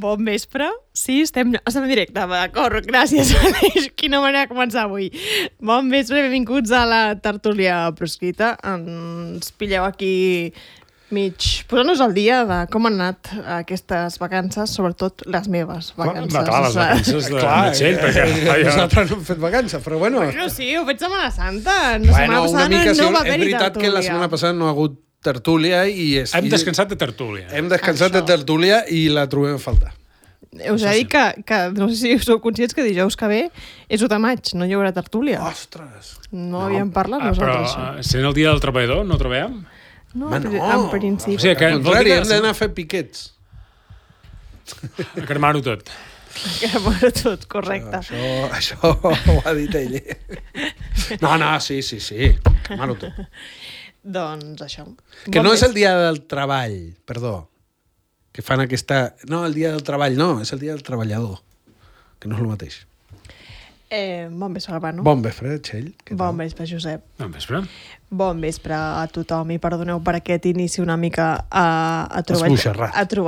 Bon vespre. Sí, estem en directe, d'acord, gràcies, Aleix. Quina manera de començar avui. Bon vespre, benvinguts a la tertúlia proscrita. Ens pilleu aquí posant-nos al dia de com han anat aquestes vacances, sobretot les meves vacances. Les vacances de Metzell, perquè nosaltres no hem fet vacances, però bueno. Bueno, sí, ho faig Setmana Santa. Setmana passada no va haver-hi tertúlia. És veritat que la setmana passada no ha hagut tertúlia i... Hem descansat de tertúlia. Hem descansat de tertúlia i la trobem a faltar. Us he dit que no sé si sou conscients que dijous que ve és 1 de maig, no hi haurà tertúlia. Ostres! No havíem parlat nosaltres. Però sent el dia del treballador no trobem? No, en principi. O sigui, al contrari, hem d'anar a fer piquets. A cremar-ho tot. A cremar-ho tot, correcte. Això ho ha dit ell. No, sí, cremar-ho tot. Doncs això. Que no és el dia del treball, perdó. Que fan aquesta... No, el dia del treball no, és el dia del treballador. Que no és el mateix. Bon vespre, Albano. Bon vespre, Txell. Bon vespre, Josep. Bon vespre. Bon vespre a tothom i perdoneu per aquest inici una mica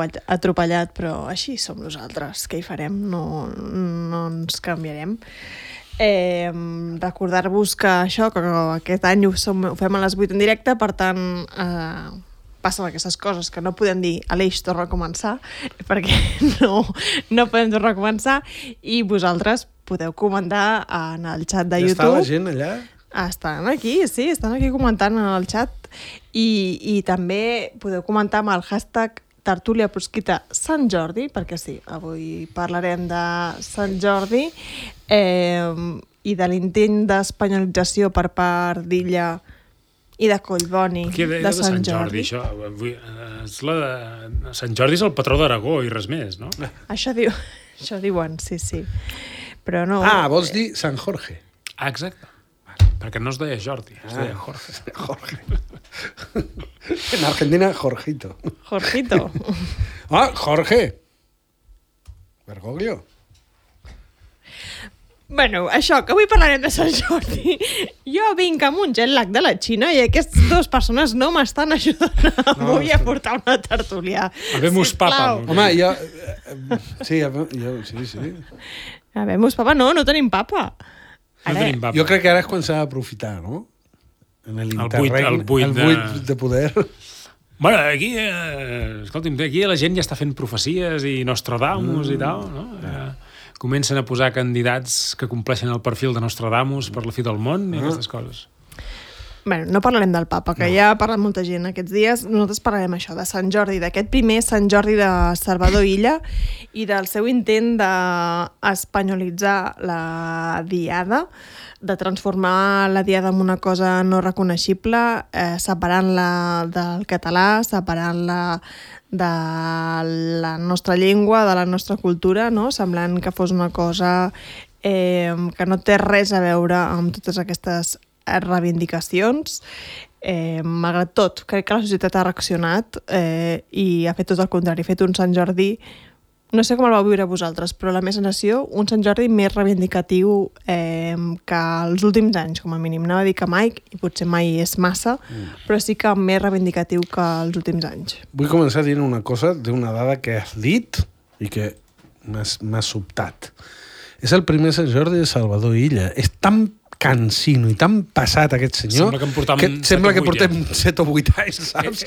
atropellat, però així som nosaltres. Què hi farem? No ens canviarem. Recordar-vos que això, que aquest any ho fem a les 8 en directe, per tant passen aquestes coses que no podem dir Aleix, torna a començar, perquè no podem tornar a començar, i vosaltres podeu comentar en el xat de YouTube. Ja està la gent allà? Estan aquí comentant en el xat, i també podeu comentar amb el hashtag Tertúlia Proscrita Sant Jordi, perquè sí, avui parlarem de Sant Jordi i de l'intent d'espanyolització per part d'Illa i de Collboni de Sant Jordi. Sant Jordi és el patró d'Aragó i res més, no? Això diuen, sí. Però no... vols dir Sant Jorge. Exacte. Perquè no es deia Jordi, es deia Jorge. En Argentina, Jorgito. Jorge. Bergoglio. Bueno, això, que avui parlarem de Sant Jordi. Jo vinc amb un jet lag de la Xina i aquestes 2 persones no m'estan ajudant avui a portar una tertúlia. Habemus papa. Home, jo... Sí. Habemus papa, no tenim papa. Jo crec que ara és quan s'ha d'aprofitar, no? En el buit de poder. Bueno, aquí, escolti'm, aquí la gent ja està fent profecies i Nostradamus i tal, no? Comencen a posar candidats que compleixen el perfil de Nostradamus per la fi del món i aquestes coses. Bueno, no parlarem del papa, que ja ha parlat molta gent aquests dies. Nosaltres parlarem això, de Sant Jordi, d'aquest primer Sant Jordi de Salvador Illa i del seu intent d'espanyolitzar la diada, de transformar la diada en una cosa no reconeixible, separant-la del català, separant-la de la nostra llengua, de la nostra cultura, no? Semblant que fos una cosa que no té res a veure amb totes aquestes reivindicacions. Malgrat tot, crec que la societat ha reaccionat i ha fet tot el contrari, ha fet un Sant Jordi, no sé com el vau viure vosaltres, però la meva sensació, un Sant Jordi més reivindicatiu que els últims anys, com a mínim. Anava a dir que mai, i potser mai és massa, però sí que més reivindicatiu que els últims anys. Vull començar dient una cosa d'una dada que has dit i que m'ha sobtat. És el primer Sant Jordi de Salvador Illa. És tan cansino i tan passat aquest senyor sembla que portem 7 o 8 anys, saps?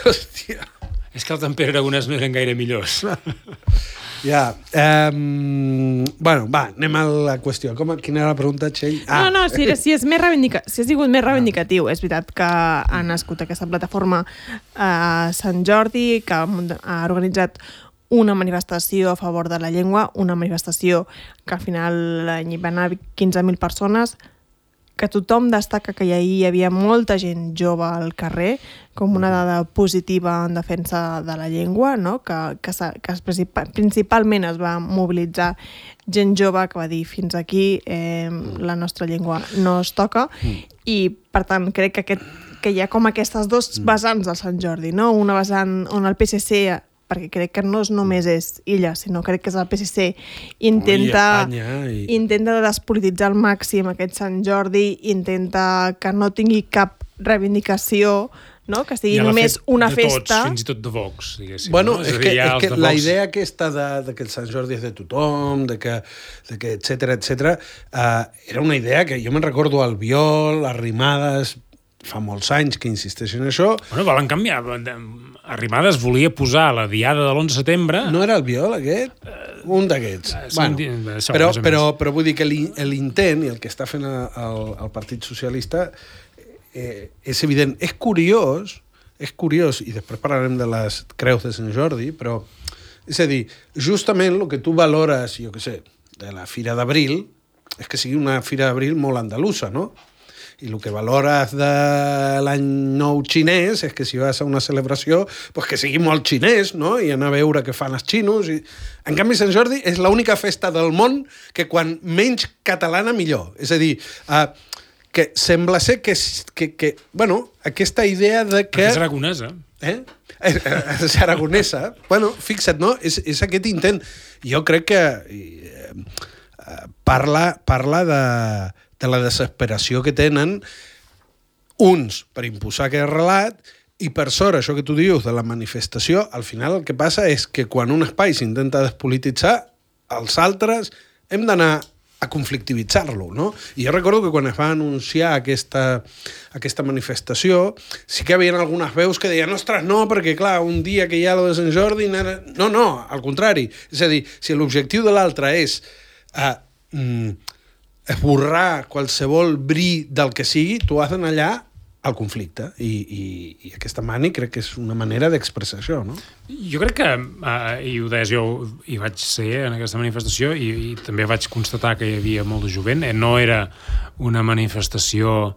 Hòstia. És que el Temper Aragonès no eren gaire millors. Ja. Bueno, va, anem a la qüestió. Quina era la pregunta, Txell? Si ha sigut més reivindicatiu. És veritat que ha nascut aquesta plataforma Sant Jordi, que ha organitzat una manifestació a favor de la llengua, una manifestació que al final hi van anar 15.000 persones, que tothom destaca que hi havia molta gent jove al carrer, com una dada positiva en defensa de la llengua, no? que principalment es va mobilitzar gent jove que va dir fins aquí la nostra llengua no es toca, i per tant crec que hi ha com aquestes dos vessants del Sant Jordi, no? Una vessant on el PSC, perquè crec que no només és Illa, sinó crec que és el PSC, intenta despolititzar al màxim aquest Sant Jordi, intenta que no tingui cap reivindicació, no? Que sigui només una festa. Tots, fins i tot de Vox, diguéssim. Bueno, no? és que la idea aquesta de que el Sant Jordi és de tothom, de que etcètera, era una idea que jo me'n recordo al Biol, Arrimadas, fa molts anys que insisteixen en això. Bueno, volen canviar. Arrimadas volia posar la diada de l'11 de setembre... No era el Biol, aquest? Un d'aquests. Però vull dir que l'intent i el que està fent el Partit Socialista és evident. És curiós, i després parlarem de les creus de Sant Jordi, però, és a dir, justament el que tu valores, jo què sé, de la Fira d'Abril, és que sigui una Fira d'Abril molt andalusa, no? I el que valores de l'any nou xinès és que si vas a una celebració, pues que sigui molt xinès, no? I anar a veure què fan els xinos. En canvi, Sant Jordi és l'única festa del món que quan menys catalana millor. És a dir, que sembla ser que bueno, aquesta idea de que... És aragonesa. És aragonesa. Bueno, fixa't, no? És aquest intent. Jo crec que parla de la desesperació que tenen uns per imposar aquest relat i per sort, això que tu dius de la manifestació, al final el que passa és que quan un espai s'intenta despolititzar, els altres hem d'anar a conflictivitzar-lo, no? I jo recordo que quan es va anunciar aquesta manifestació, sí que hi havia algunes veus que deien, ostres, no, perquè clar, un dia que hi ha lo de Sant Jordi... No, al contrari. És a dir, si l'objectiu de l'altre és esborrar qualsevol bri del que sigui, tu has d'anar allà al conflicte. I aquesta mani crec que és una manera d'expressar això, no? Jo crec que, i ho deies, jo hi vaig ser en aquesta manifestació i també vaig constatar que hi havia molt de jovent. No era una manifestació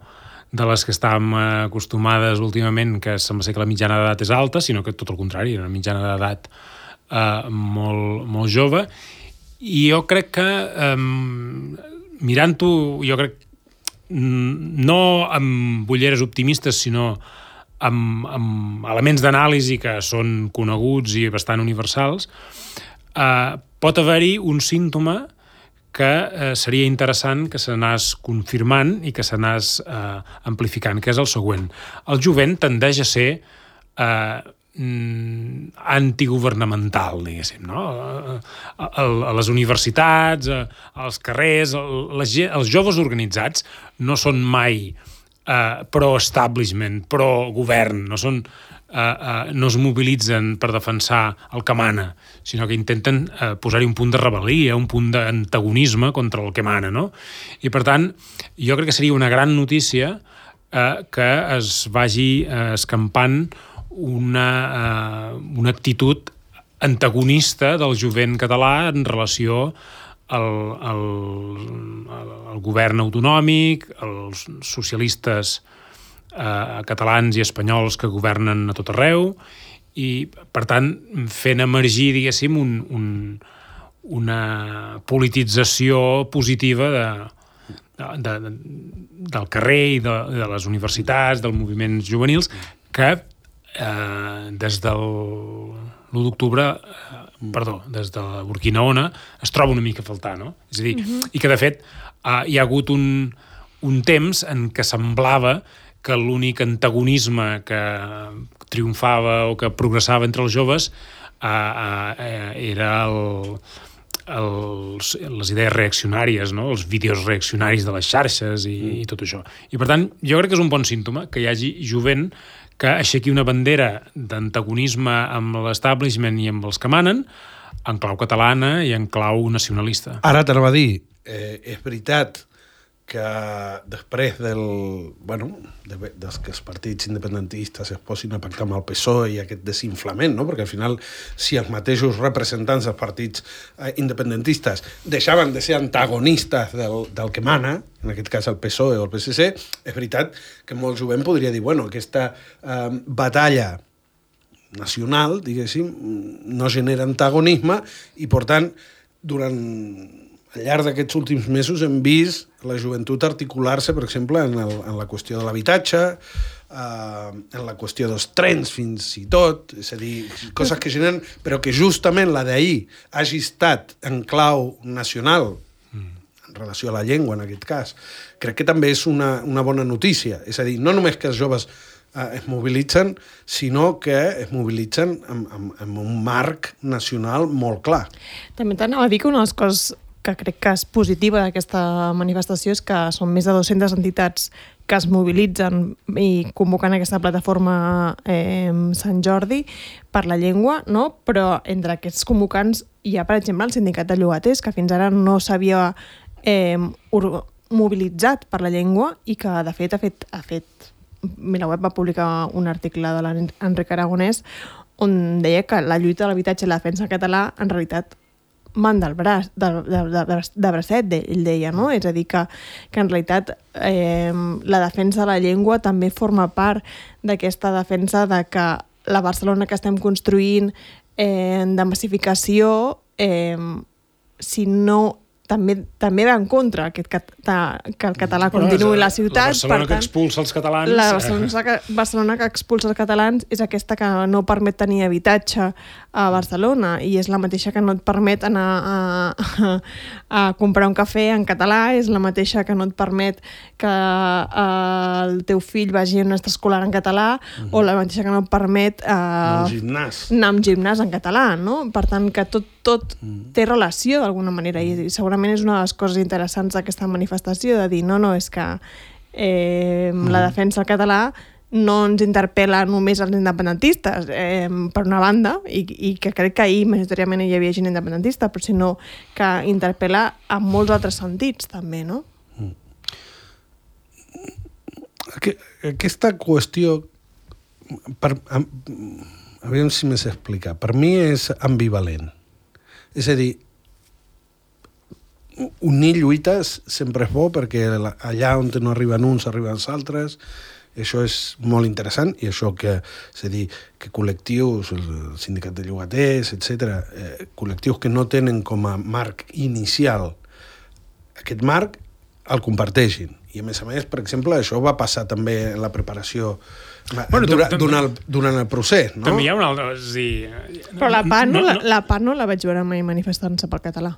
de les que estàvem acostumades últimament, que sembla ser que la mitjana d'edat és alta, sinó que tot el contrari, era una mitjana d'edat molt jove. I jo crec que, mirant-ho, jo crec no amb ulleres optimistes, sinó amb elements d'anàlisi que són coneguts i bastant universals, pot haver-hi un símptoma que seria interessant que s'anés confirmant i que s'anés amplificant, que és el següent. El jovent tendeix a ser antigovernamental, diguéssim, no? A les universitats, als carrers, els joves organitzats no són mai pro-establishment, pro-govern, no es mobilitzen per defensar el que mana, sinó que intenten posar-hi un punt de rebel·lia, un punt d'antagonisme contra el que mana, no? I per tant, jo crec que seria una gran notícia que es vagi escampant una actitud antagonista del jovent català en relació al govern autonòmic, als socialistes catalans i espanyols que governen a tot arreu i, per tant, fent emergir, diguéssim, una politització positiva del carrer i de les universitats, dels moviments juvenils, que des del l'1 d'octubre, des de Burkina Ona, es troba una mica a faltar, no? És a dir, i que de fet hi ha hagut un temps en què semblava que l'únic antagonisme que triomfava o que progressava entre els joves era les idees reaccionàries, no? Els vídeos reaccionaris de les xarxes i tot això. I per tant, jo crec que és un bon símptoma que hi hagi jovent que aixequi una bandera d'antagonisme amb l'establishment i amb els que manen en clau catalana i en clau nacionalista. Ara t'anava a dir, és veritat que després dels que els partits independentistes es posin a pactar amb el PSOE i aquest desinflament, no? Perquè al final, si els mateixos representants dels partits independentistes deixaven de ser antagonistes del que mana, en aquest cas el PSOE o el PSC, és veritat que molt jovent podria dir, bueno, aquesta batalla nacional, diguéssim, no genera antagonisme i, per tant, durant al llarg d'aquests últims mesos hem vist la joventut articular-se, per exemple, en la qüestió de l'habitatge, en la qüestió dels trens fins i tot, és a dir, coses que generen, però que justament la d'ahir hagi estat en clau nacional, en relació a la llengua en aquest cas, crec que també és una bona notícia. És a dir, no només que els joves es mobilitzen, sinó que es mobilitzen amb un marc nacional molt clar. També t'anava a dir que una de les coses que crec que és positiva d'aquesta manifestació és que són més de 200 entitats que es mobilitzen i convoquen aquesta plataforma Sant Jordi per la llengua, no? Però entre aquests convocants hi ha, per exemple, el sindicat de llogaters, que fins ara no s'havia mobilitzat per la llengua i que, de fet, ha fet Miraweb va publicar un article de l'Enric Aragonès on deia que la lluita de l'habitatge i la defensa del català en realitat man del braç, de bracet, ell deia, no? És a dir, que en realitat la defensa de la llengua també forma part d'aquesta defensa de que la Barcelona que estem construint de massificació, si no també va en contra que el català continuï a la ciutat. La Barcelona que expulsa els catalans... La Barcelona que expulsa els catalans és aquesta que no permet tenir habitatge a Barcelona i és la mateixa que no et permet anar a comprar un cafè en català, és la mateixa que no et permet que el teu fill vagi a un extraescolar en català o la mateixa que no et permet anar a un gimnàs en català, no? Per tant, que tot té relació d'alguna manera i segurament és una de les coses interessants d'aquesta manifestació, de dir, no, és que la defensa del català no ens interpel·la només als independentistes, per una banda, i que crec que ahir majoritàriament hi havia gent independentista, però sinó que interpel·la en molts altres sentits, també, no? Aquesta qüestió, aviam si m'he d'explicar, per mi és ambivalent. És a dir, unir lluites sempre és bo perquè allà on no arriben uns arriben els altres, això és molt interessant i això que, és a dir, que col·lectius, el sindicat de llogaters, etc., col·lectius que no tenen com a marc inicial aquest marc, el comparteixin. I a més, per exemple, això va passar també en la preparació durant el procés, no? També hi ha una altra... Però la PA no la vaig veure mai manifestant-se pel català.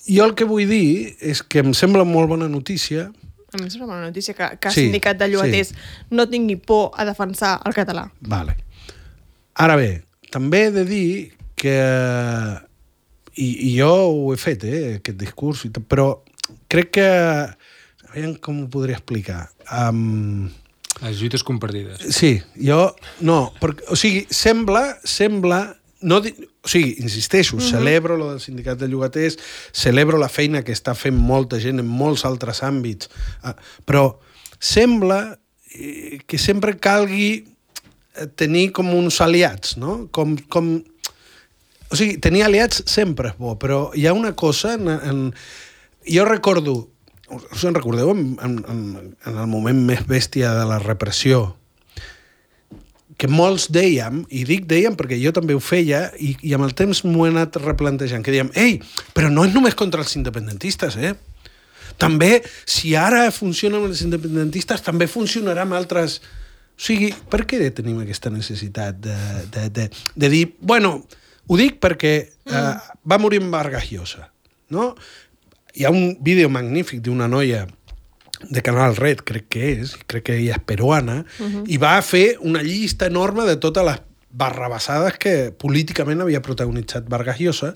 Jo el que vull dir és que em sembla molt bona notícia... A mi em sembla bona notícia que el sindicat de llogaters no tingui por a defensar el català. Vale. Ara bé, també he de dir que... I jo ho he fet, aquest discurs, però crec que... Aviam com ho podria explicar. Les lluites compartides. Sí, jo... No, perquè, o sigui, sembla no, o sigui, insisteixo, celebro lo del sindicat de llogaters, celebro la feina que està fent molta gent en molts altres àmbits, però sembla que sempre calgui tenir com uns aliats, no? O sigui, tenir aliats sempre és bo, però hi ha una cosa... Jo recordo, us en recordeu, en el moment més bèstia de la repressió, que molts dèiem, i dic dèiem perquè jo també ho feia, i amb el temps m'ho he anat replantejant, que dèiem, ei, però no és només contra els independentistes, També, si ara funciona amb els independentistes, també funcionarà amb altres... O sigui, per què tenim aquesta necessitat de dir... Bueno, ho dic perquè va morir en Vargas Llosa, no? Hi ha un vídeo magnífic d'una noia de Canal Red, crec que ella és peruana, i va fer una llista enorme de totes les barrabassades que políticament havia protagonitzat Vargas Llosa.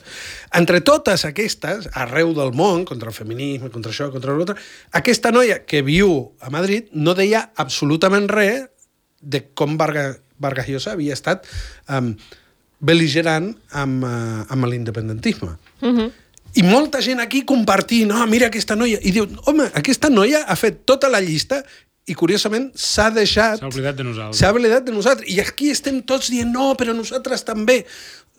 Entre totes aquestes, arreu del món, contra el feminisme, contra això, contra l'altre, aquesta noia que viu a Madrid no deia absolutament res de com Vargas Llosa havia estat bel·ligerant amb l'independentisme. I molta gent aquí compartint, mira aquesta noia, i diu, home, aquesta noia ha fet tota la llista i curiosament s'ha oblidat de nosaltres. S'ha oblidat de nosaltres. I aquí estem tots dient, no, però nosaltres també.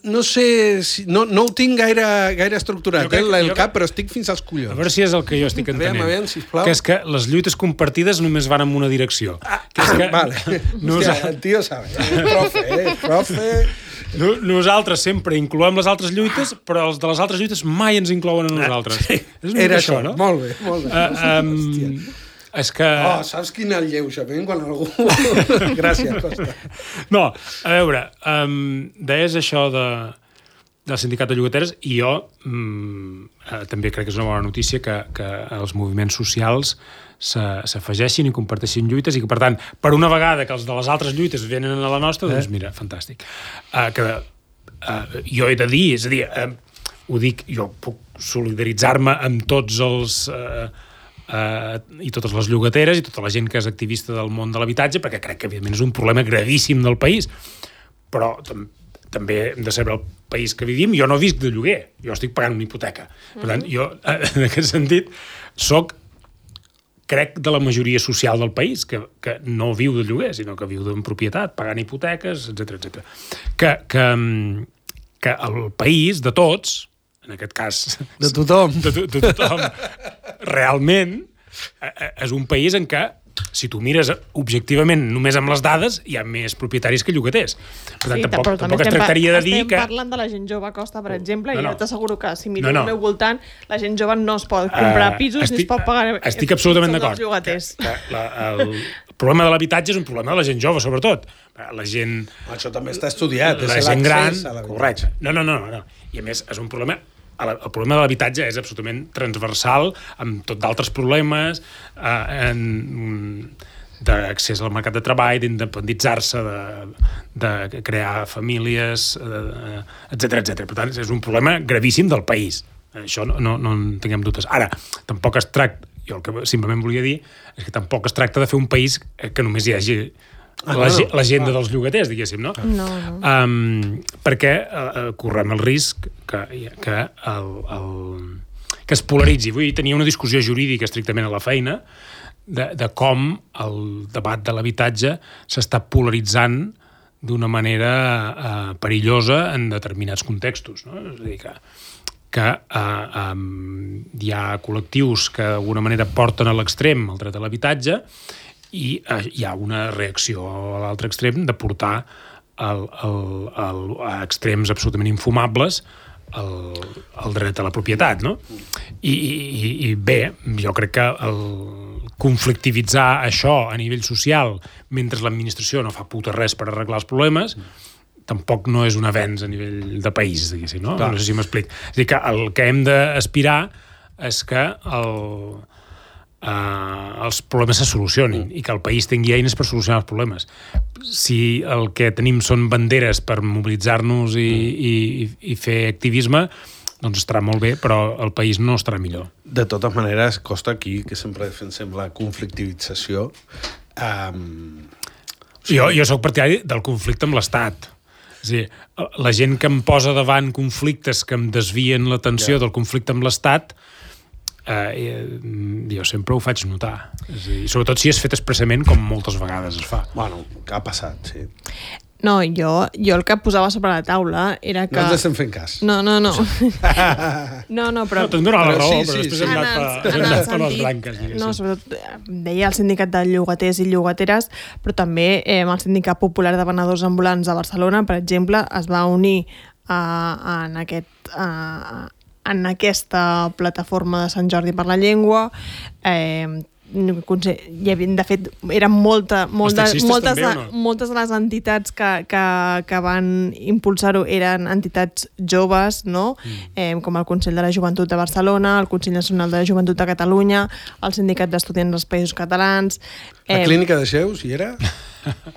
No sé, no ho tinc gaire estructurat, el cap, però estic fins als collons. A veure si és el que jo estic entenent. Aviam, sisplau. Que és que les lluites compartides només van en una direcció. Vale. Hòstia, el tio sabe. Profe. Nosaltres sempre incloem les altres lluites, però els de les altres lluites mai ens inclouen a nosaltres. Era això, no? Molt bé, molt bé. És que... saps quin alleujament quan algú... Gràcies, Costa. No, a veure, deies això del sindicat de llogateres i jo també crec que és una bona notícia que els moviments socials s'afegeixin i comparteixin lluites i que, per tant, per una vegada que els de les altres lluites venen a la nostra, doncs mira, fantàstic. Jo he de dir, és a dir, ho dic, jo puc solidaritzar-me amb tots els... i totes les llogateres i tota la gent que és activista del món de l'habitatge, perquè crec que evidentment és un problema gravíssim del país, però també hem de saber el país que vivim. Jo no visc de lloguer, jo estic pagant una hipoteca. Per tant, jo, en aquest sentit, crec de la majoria social del país, que no viu de lloguer, sinó que viu en propietat, pagant hipoteques, etc. Que el país, de tots, en aquest cas... De tothom. De tothom. Realment, és un país en què, si tu mires objectivament només amb les dades, hi ha més propietaris que llogaters. Per tant, tampoc es tractaria de dir que... Estem parlant de la gent jove, Costa, per exemple, i jo t'asseguro que si miro al meu voltant, la gent jove no es pot comprar pisos ni es pot pagar... Estic absolutament d'acord. El problema de l'habitatge és un problema de la gent jove, sobretot. La gent... Això també està estudiat. La gent gran... Correcte. No. I a més, és un problema... El problema de l'habitatge és absolutament transversal, amb tot d'altres problemes, d'accés al mercat de treball, d'independitzar-se, de crear famílies, etc. Per tant, és un problema gravíssim del país. Això no en tinguem dubtes. Ara, tampoc es tracta, jo el que simplement volia dir, és que tampoc es tracta de fer un país que només hi hagi l'agenda dels llogaters, diguéssim, no? No. Perquè correm el risc que es polaritzi. Vull dir, tenia una discussió jurídica estrictament a la feina de com el debat de l'habitatge s'està polaritzant d'una manera perillosa en determinats contextos, no? És a dir, que hi ha col·lectius que d'alguna manera porten a l'extrem el dret a l'habitatge i hi ha una reacció a l'altre extrem de portar a extrems absolutament infumables el dret a la propietat, no? I bé, jo crec que conflictivitzar això a nivell social mentre l'administració no fa puta res per arreglar els problemes tampoc no és un avenç a nivell de país, diguéssim, no? No sé si m'explic. És a dir, que el que hem d'aspirar és que els problemes se solucionin i que el país tingui eines per solucionar els problemes. Si el que tenim són banderes per mobilitzar-nos i fer activisme, doncs estarà molt bé, però el país no estarà millor. De totes maneres, Costa, aquí, que sempre defensem la conflictivització... Jo soc partidari del conflicte amb l'Estat. És a dir, la gent que em posa davant conflictes que em desvien l'atenció del conflicte amb l'Estat, jo sempre ho faig notar. És a dir, sobretot si és fet expressament, com moltes vegades es fa. Bueno, que ha passat, sí. No, jo el que posava sobre la taula era que... No ens estem fent cas. No. No, però... No, te'n dono la raó, però després hem anat per les branques. No, sobretot deia el sindicat de llogaters i llogateres, però també el sindicat popular de venedors ambulants de Barcelona, per exemple, es va unir en aquesta plataforma de Sant Jordi per la Llengua. De fet, eren moltes de les entitats que van impulsar-ho eren entitats joves, no? Com el Consell de la Joventut de Barcelona, el Consell Nacional de la Joventut de Catalunya, el Sindicat d'Estudiants dels Països Catalans... La Clínica de Xeus, hi era?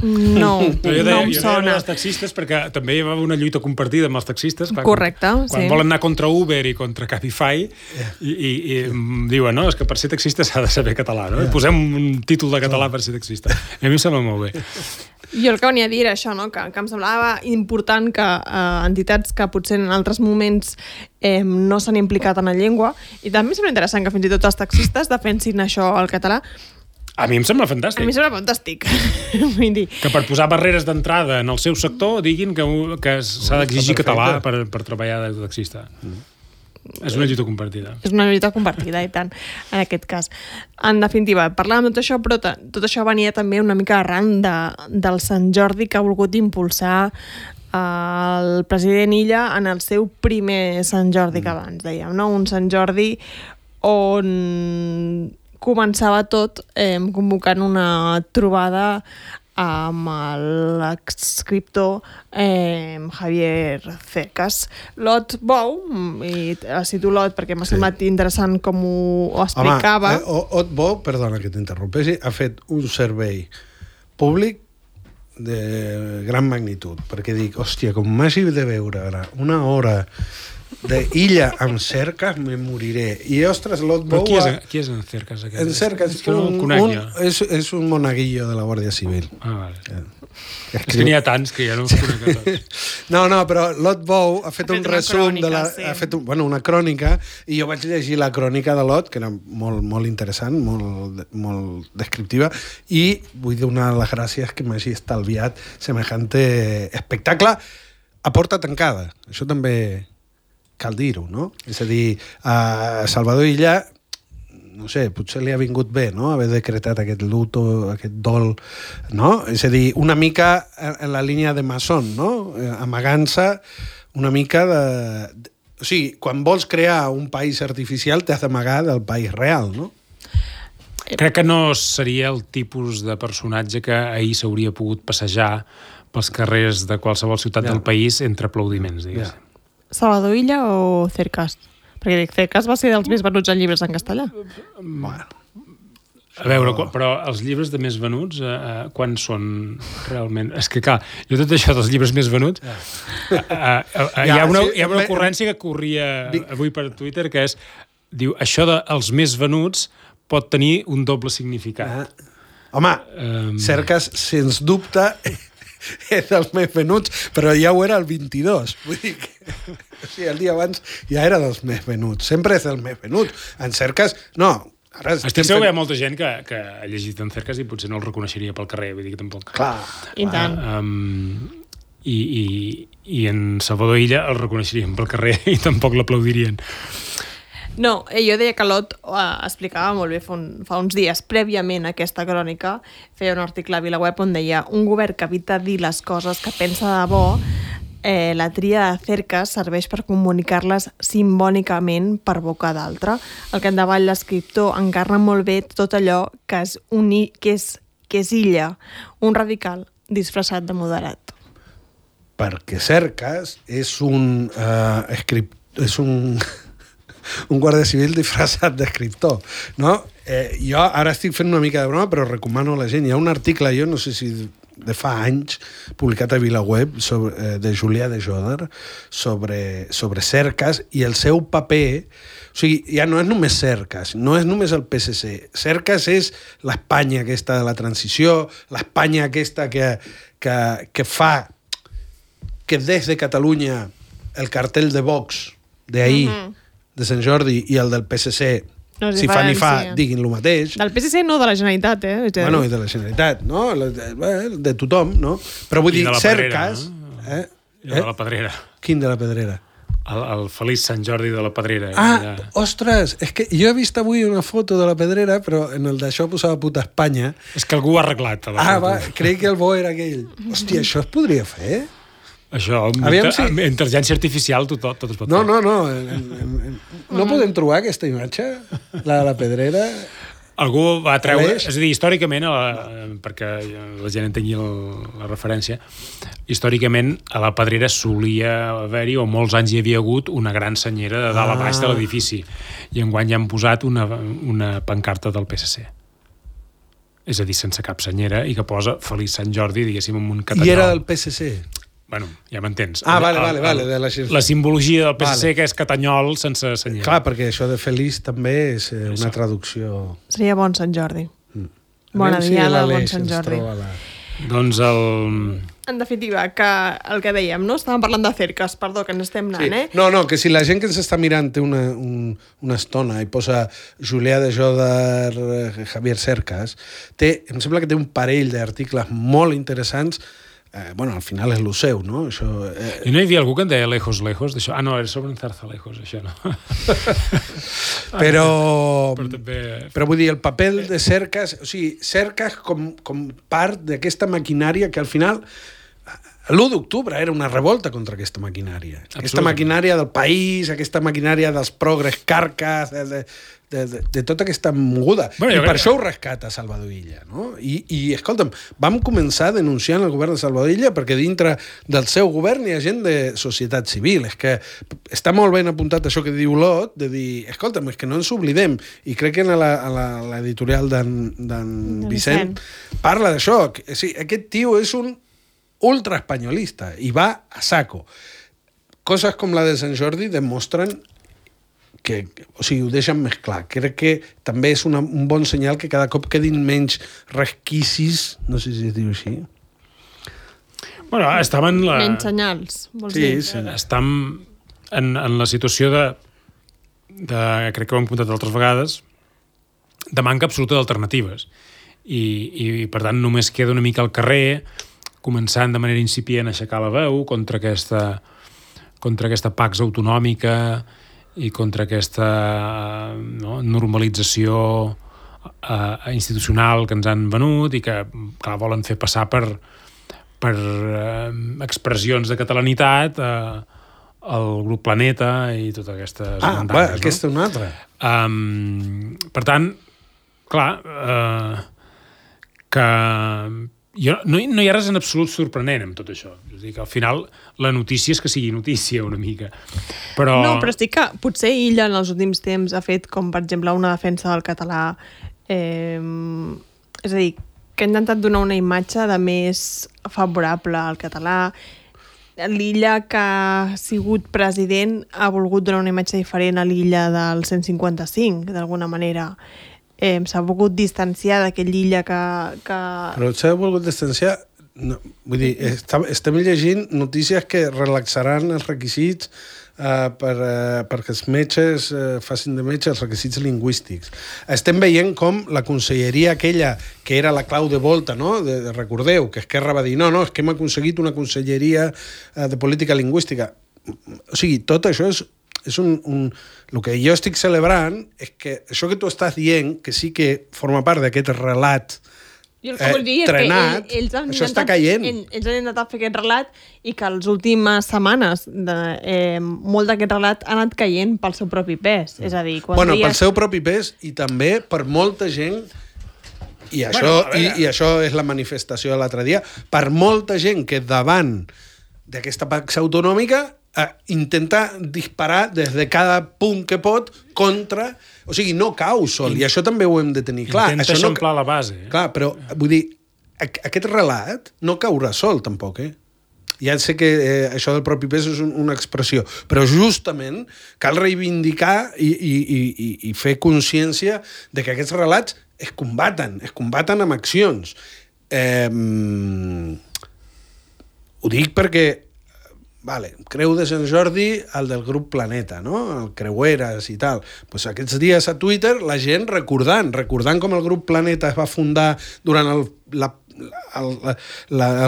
No em sona. Jo deia els taxistes perquè també hi va una lluita compartida amb els taxistes. Clar, correcte, quan volen anar contra Uber i contra Cabify i diuen, no, és que per ser taxista s'ha de saber català, no? Posem un títol de català per ser taxista. I a mi em sembla molt bé. Jo el que venia a dir era això, no? que em semblava important que entitats que potser en altres moments no s'han implicat en la llengua, i també em sembla interessant que fins i tot els taxistes defensin això al català. A mi em sembla fantàstic. A mi em sembla fantàstic. Vull dir... Que per posar barreres d'entrada en el seu sector diguin que s'ha d'exigir català per treballar de taxista. És una lluita compartida. És una lluita compartida, i tant, en aquest cas. En definitiva, parlàvem de tot això, però tot això venia també una mica arran del Sant Jordi que ha volgut impulsar el president Illa en el seu primer Sant Jordi, que abans dèiem, no? Un Sant Jordi on començava tot convocant una trobada amb l'escriptor Javier Cercas. Lot Bou, i cito Lot perquè m'ha semblat interessant com ho explicava. Lot Bou, perdona que t'interrompessi, ha fet un servei públic de gran magnitud, perquè dic, hòstia, com m'hagi de veure ara una hora d'Illa amb Cercas, me moriré. I, ostres, Lot Bou... Qui és en Cercas? En Cercas és un monaguillo de la Guàrdia Civil. Vale. És que n'hi ha tants que ja no els conec a tots. No, però Lot Bou ha fet un resum ha fet una crònica, i jo vaig llegir la crònica de Lot, que era molt interessant, molt descriptiva, i vull donar les gràcies que m'hagi estalviat semejante espectacle a porta tancada. Això també cal dir-ho, no? És a dir, a Salvador Illa, no sé, potser li ha vingut bé, no?, haver decretat aquest luto, aquest dol, no? És a dir, una mica en la línia de Masson, no? Amagant-se una mica de... O sigui, quan vols crear un país artificial t'has d'amagar del país real, no? Crec que no seria el tipus de personatge que ahir s'hauria pogut passejar pels carrers de qualsevol ciutat del país entre aplaudiments, diguéssim. Salvador Illa o Cercas? Perquè dic, Cercas va ser dels més venuts en llibres en castellà. Bueno. A veure, però els llibres de més venuts, quan són realment? És que, clar, jo tot això dels llibres més venuts, hi ha una ocurrència que corria avui per Twitter, que és, diu, això dels més venuts pot tenir un doble significat. Home, Cercas, sens dubte, és dels més venuts, però ja ho era el 22. Vull dir que el dia abans ja era dels més venuts. Sempre és dels més venuts. En Cercas, no. Estic segur que hi ha molta gent que ha llegit en Cercas i potser no el reconeixeria pel carrer. Vull dir que tampoc... Clar. I tant. I en Salvador Illa el reconeixerien pel carrer i tampoc l'aplaudirien. No, jo deia que Lot explicava molt bé fa uns dies, prèviament a aquesta crònica, feia un article a VilaWeb on deia un govern que evita dir les coses que pensa de bo, la tria de Cercas serveix per comunicar-les simbòlicament per boca d'altre. El que endavant l'escriptor encarna molt bé tot allò que és Illa, un radical disfressat de moderat. Perquè Cercas és un un guàrdia civil disfressat d'escriptor, no? Jo ara estic fent una mica de broma, però recomano a la gent. Hi ha un article, jo no sé si de fa anys, publicat a VilaWeb, de Julià de Joder, sobre Cercas i el seu paper. O sigui, ja no és només Cercas, no és només el PSC. Cercas és l'Espanya aquesta de la transició, l'Espanya aquesta que fa que des de Catalunya el cartell de Vox d'ahir, de Sant Jordi, i el del PSC, si fa ni fa, diguin el mateix. Del PSC no, de la Generalitat, Bueno, i de la Generalitat, no? De tothom, no? Però vull dir, Cercas... I de la Pedrera. Quin de la Pedrera? El feliç Sant Jordi de la Pedrera. Ostres, és que jo he vist avui una foto de la Pedrera, però en el d'això posava puta Espanya. És que algú ho ha arreglat. Creia que el bo era aquell. Hòstia, això es podria fer? Això, amb intel·ligència artificial tot es pot fer. No. No podem trobar aquesta imatge? La de la Pedrera? Algú va treure... És a dir, històricament, perquè la gent entengui la referència, històricament a la Pedrera solia haver-hi, o molts anys hi havia hagut, una gran senyera de dalt a baix de l'edifici. I enguany ja han posat una pancarta del PSC. És a dir, sense cap senyera, i que posa Feliç Sant Jordi, diguéssim, amb un catalló. I era del PSC? Bueno, ja m'entens. Vale. La simbologia del PSC, que és catanyol sense senyera. Clar, perquè això de feliç també és una traducció... Seria bon Sant Jordi. Bona diada, bon Sant Jordi. Doncs En definitiva, que el que dèiem, no? Estàvem parlant de Cercas, perdó, que ens estem anant, No, que si la gent que ens està mirant té una estona i posa Julià de Joder, Javier Cercas, em sembla que té un parell d'articles molt interessants. Al final és lo seu, no? Això, I no hi havia algú que en deia Lejos, d'això? No, era sobre en Zarzalejos, això no. Però vull dir, el paper de Cercas, o sigui, Cercas com part d'aquesta maquinària que al final l'1 d'octubre era una revolta contra aquesta maquinària. Aquesta maquinària del país, aquesta maquinària dels progres carques, de tota aquesta moguda. I per això ho rescata Salvador Illa, no? I escolta'm, vam començar denunciant el govern de Salvador Illa perquè dintre del seu govern hi ha gent de societat civil. És que està molt ben apuntat això que diu Lot, de dir, escolta'm, és que no ens oblidem. I crec que en l'editorial d'en Vicent parla d'això. Aquest tio és un ultraespanyolista i va a saco. Coses com la de Sant Jordi demostren que, o sigui, ho deixen més clar. Crec que també és un bon senyal que cada cop quedin menys resquicis, no sé si es diu així. Bueno, estaven... Menys senyals, vols dir? Sí. Estem en la situació de crec que ho hem contat altres vegades, de manca absoluta d'alternatives. I per tant, només queda una mica al carrer, començant de manera incipient a aixecar la veu contra aquesta pax autonòmica i contra aquesta normalització institucional que ens han venut i que volen fer passar per expressions de catalanitat al grup Planeta i totes aquestes bandanes. Aquesta una altra. Per tant, clar, que no hi ha res en absolut sorprenent amb tot això. És a dir, que al final la notícia és que sigui notícia una mica. Però... No, però estic que potser Illa en els últims temps ha fet com, per exemple, una defensa del català. És a dir, que ha intentat donar una imatge de més favorable al català. L'Illa que ha sigut president ha volgut donar una imatge diferent a l'Illa del 155, d'alguna manera. S'ha volgut distanciar d'aquell Illa que... Però s'ha volgut distanciar... No, vull dir, estem llegint notícies que relaxaran els requisits perquè els metges facin de metge els requisits lingüístics. Estem veient com la conselleria aquella que era la clau de volta, no? Recordeu que Esquerra va dir no, és que hem aconseguit una conselleria de política lingüística. O sigui, tot això és el que jo estic celebrant és que això que tu estàs dient, que sí que forma part d'aquest relat trenat, això està caient. Ells han intentat fer aquest relat i que les últimes setmanes molt d'aquest relat ha anat caient pel seu propi pes. És a dir, pel seu propi pes i també per molta gent, i això és la manifestació de l'altre dia, per molta gent que davant d'aquesta pax autonòmica intenta disparar des de cada punt que pot contra... O sigui, no cau sol, i això també ho hem de tenir clar. Intenta eixamplar la base. Clar, però, vull dir, aquest relat no caurà sol, tampoc, Ja sé que això del propi pes és una expressió, però justament cal reivindicar i fer consciència de que aquests relats es combaten amb accions. Ho dic perquè Creu de Sant Jordi, el del grup Planeta, no? El Creueres i tal. Pues aquests dies a Twitter la gent recordant com el grup Planeta es va fundar durant el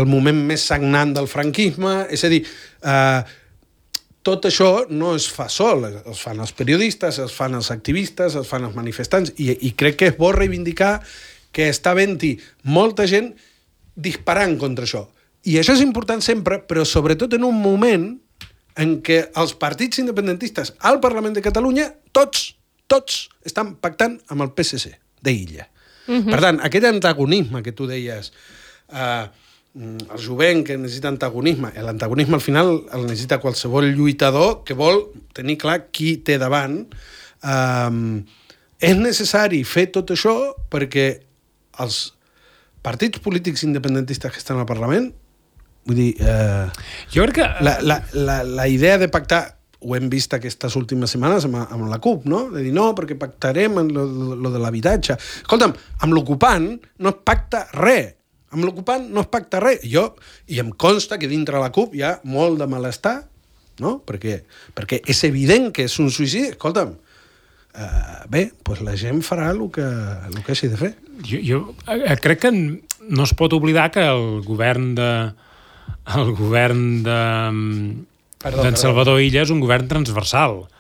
moment més sagnant del franquisme. És a dir, tot això no es fa sol. Es fan els periodistes, es fan els activistes, es fan els manifestants. I crec que és bo reivindicar que està havent-hi molta gent disparant contra això. I això és important sempre, però sobretot en un moment en què els partits independentistes al Parlament de Catalunya, tots estan pactant amb el PSC d'Illa. Per tant, aquest antagonisme que tu deies, el jovent que necessita antagonisme, l'antagonisme al final el necessita qualsevol lluitador que vol tenir clar qui té davant, és necessari fer tot això perquè els partits polítics independentistes que estan al Parlament, vull dir, jo crec que la idea de pactar, ho hem vist aquestes últimes setmanes amb la CUP, no? De dir, no, perquè pactarem lo de l'habitatge. Escolta'm, amb l'ocupant no es pacta res. I em consta que dintre la CUP hi ha molt de malestar, no? Perquè és evident que és un suïcidi. Escolta'm, doncs la gent farà el que hagi de fer. Jo crec que no es pot oblidar que el govern d'en Salvador Illa és un govern transversal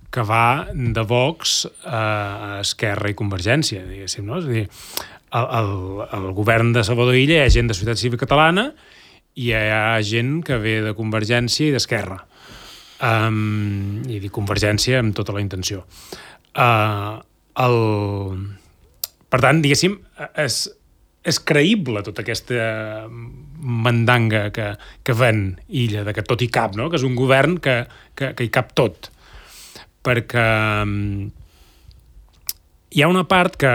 que va de Vox a Esquerra i Convergència, diguéssim, no? És a dir, el govern de Salvador Illa hi ha gent de Societat Civil Catalana hi ha gent que ve de Convergència i d'Esquerra. I dic Convergència amb tota la intenció. Per tant, diguéssim, és creïble tota aquesta mandanga que ven Illa, de que tot hi cap, no? Que és un govern que hi cap tot. Perquè hi ha una part que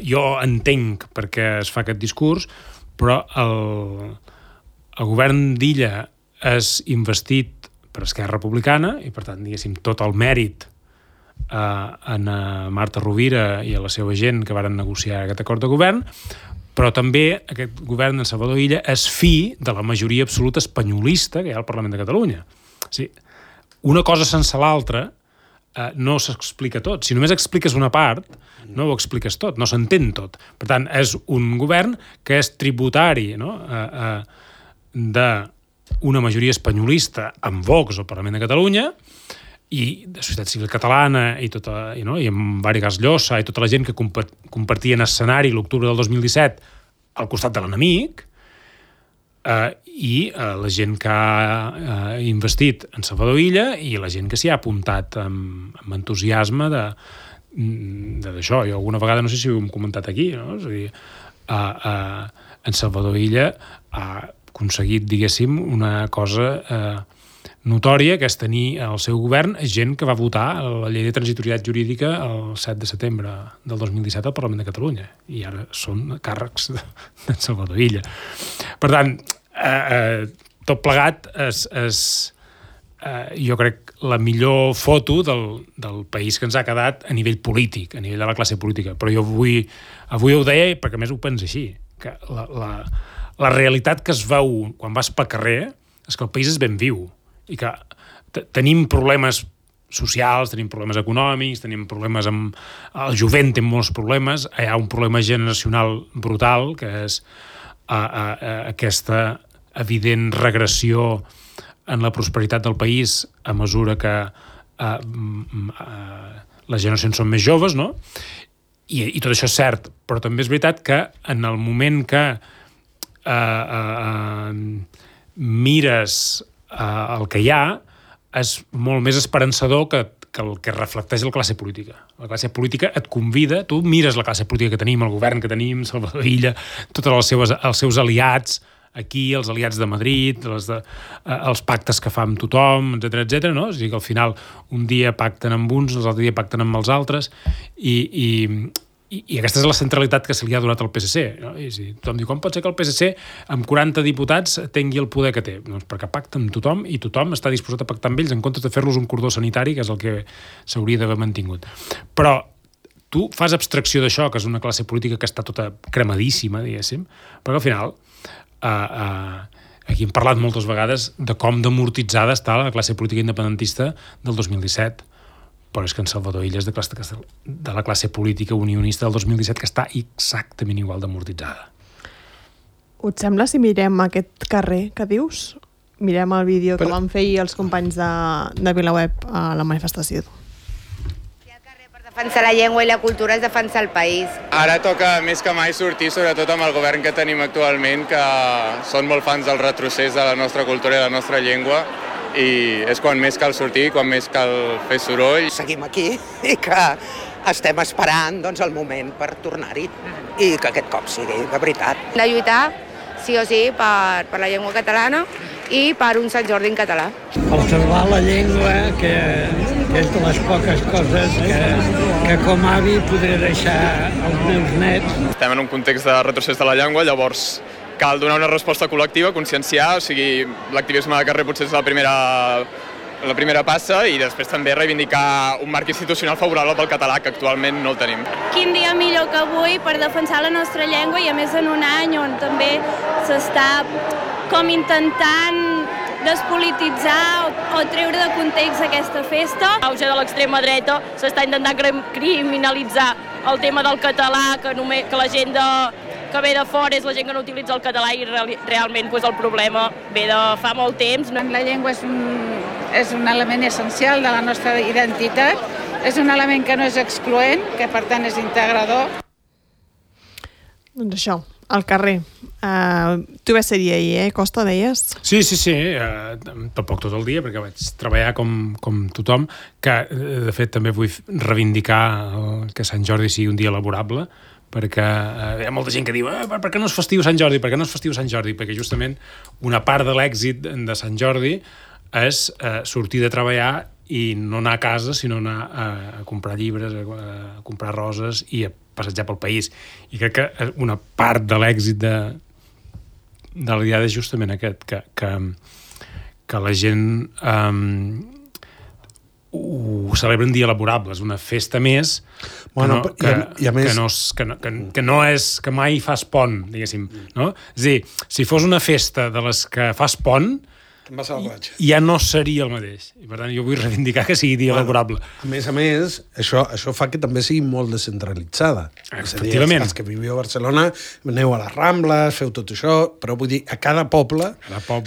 jo entenc perquè es fa aquest discurs, però el govern d'Illa és investit per Esquerra Republicana i, per tant, diguéssim, tot el mèrit a Marta Rovira i a la seva gent que varen negociar aquest acord de govern, però també aquest govern de Salvador Illa és fi de la majoria absoluta espanyolista que hi ha al Parlament de Catalunya. O sigui, una cosa sense l'altra no s'explica tot. Si només expliques una part, no ho expliques tot, no s'entén tot. Per tant, és un govern que és tributari, no? D'una majoria espanyolista amb Vox al Parlament de Catalunya i de Societat Civil Catalana i amb Vargas Llosa i tota la gent que compartien escenari l'octubre del 2017 al costat de l'enemic, i la gent que ha investit en Salvador Illa i la gent que s'hi ha apuntat amb entusiasme d'això. Jo alguna vegada, no sé si ho hem comentat aquí, no? És a dir, en Salvador Illa ha aconseguit, diguéssim, una cosa notòria, que és tenir al seu govern gent que va votar la llei de transitorietat jurídica el 7 de setembre del 2017 al Parlament de Catalunya, i ara són càrrecs d'en Salvador Illa. Per tant, tot plegat és jo crec la millor foto del país que ens ha quedat a nivell polític, a nivell de la classe política. Però jo avui ho deia perquè a més ho penso així, que la realitat que es veu quan vas pel carrer és que el país és ben viu i que tenim problemes socials, tenim problemes econòmics, tenim problemes amb... El jovent té molts problemes, hi ha un problema generacional brutal, que és aquesta evident regressió en la prosperitat del país a mesura que les generacions són més joves, no? I tot això és cert, però també és veritat que en el moment que mires el que hi ha, és molt més esperançador que el que reflecteix la classe política. La classe política et convida, tu mires la classe política que tenim, el govern que tenim, Salvador Illa, tots els seus aliats aquí, els aliats de Madrid, els pactes que fa amb tothom, etc, no? O sigui que al final un dia pacten amb uns, l'altre dia pacten amb els altres, i aquesta és la centralitat que se li ha donat al PSC, no? I tothom diu, com pot ser que el PSC amb 40 diputats tingui el poder que té? Doncs perquè pacta amb tothom i tothom està disposat a pactar amb ells en comptes de fer-los un cordó sanitari, que és el que s'hauria d'haver mantingut. Però tu fas abstracció d'això, que és una classe política que està tota cremadíssima, diguéssim, perquè al final aquí hem parlat moltes vegades de com d'amortitzada està la classe política independentista del 2017, però és que en Salvador Illa és de la classe política unionista del 2017 que està exactament igual d'amortitzada. Et sembla si mirem aquest carrer que dius? Mirem el vídeo que van fer els companys de VilaWeb a la manifestació. Defensar la llengua i la cultura és defensar el país. Ara toca més que mai sortir, sobretot amb el govern que tenim actualment, que són molt fans del retrocés de la nostra cultura i de la nostra llengua, i és quan més cal sortir, quan més cal fer soroll. Seguim aquí i que estem esperant el moment per tornar-hi i que aquest cop sigui de veritat. De lluitar, sí o sí, per la llengua catalana i per un Sant Jordi en català. Per salvar la llengua, que és de les poques coses que com a avi podré deixar als meus nets. Estem en un context de retrocés de la llengua, llavors cal donar una resposta col·lectiva, conscienciar, o sigui, l'activisme de carrer potser és la primera passa, i després també reivindicar un marc institucional favorable pel català, que actualment no el tenim. Quin dia millor que avui per defensar la nostra llengua, i a més en un any on també s'està com intentant despolititzar o treure de context aquesta festa. L'auge de l'extrema dreta s'està intentant criminalitzar el tema del català, que la gent que ve de fora és la gent que no utilitza el català, i realment el problema ve de fa molt temps. La llengua és un element essencial de la nostra identitat, és un element que no és excloent, que per tant és integrador. Doncs això, al carrer. Tu vas ser-hi ahir, Costa, deies? Sí. Tampoc tot el dia, perquè vaig treballar com tothom, que de fet també vull reivindicar que Sant Jordi sigui un dia laborable, perquè hi ha molta gent que diu per què no és festiu Sant Jordi? Perquè justament una part de l'èxit de Sant Jordi és sortir de treballar i no anar a casa, sinó anar a comprar llibres, a comprar roses i a passejar pel país. I crec que una part de l'èxit de la diada és justament aquest, que la gent ho celebra un dia laborable, és una festa més que mai fas pont, diguéssim, no? És a dir, si fos una festa de les que fas pont, ja no seria el mateix. I per tant jo vull reivindicar que sigui dia laborable. A més, això fa que també sigui molt descentralitzada. Efectivament. Els que viviu a Barcelona aneu a les Rambles, feu tot això, però vull dir, a cada poble,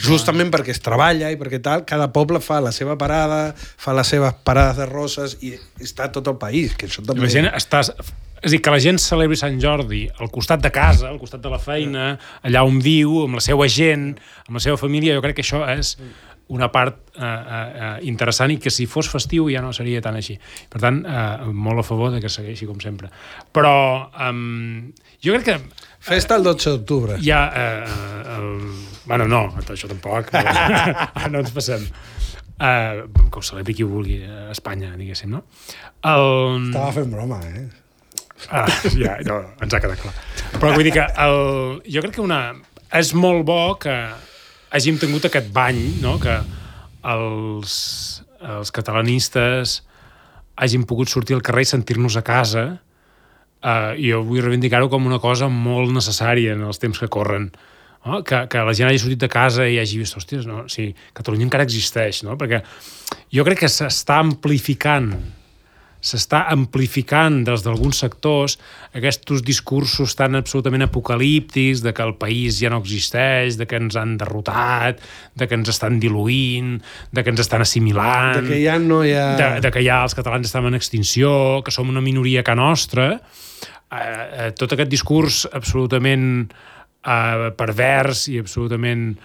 justament perquè es treballa i perquè tal, cada poble fa la seva parada, fa les seves parades de roses i està tot el país, que això també... És a dir, que la gent celebri Sant Jordi al costat de casa, al costat de la feina, allà on viu, amb la seva gent, amb la seva família, jo crec que això és una part interessant i que si fos festiu ja no seria tan així. Per tant, molt a favor de que segueixi com sempre. Però jo crec que... Festa el 12 d'octubre. Ja, bueno, no, això tampoc. No ens passem. Que ho celebri qui ho vulgui a Espanya, diguéssim, no? Estava fent broma, ja, no, ens ha quedat clar. Però vull dir que jo crec que és molt bo que hàgim tingut aquest bany, no? Que els catalanistes hàgim pogut sortir al carrer i sentir-nos a casa. Jo vull reivindicar-ho com una cosa molt necessària en els temps que corren. No? Que la gent hagi sortit de casa i hagi vist, hòsties, no? Sí, Catalunya encara existeix, no? Perquè jo crec que s'està amplificant des d'alguns sectors aquests discursos tan absolutament apocalíptics de que el país ja no existeix, de que ens han derrotat, de que ens estan diluint, de que ens estan assimilant, de que ja no hi ha... de que ja els catalans estan en extinció, que som una minoria que nostra. Tot aquest discurs absolutament pervers i absolutament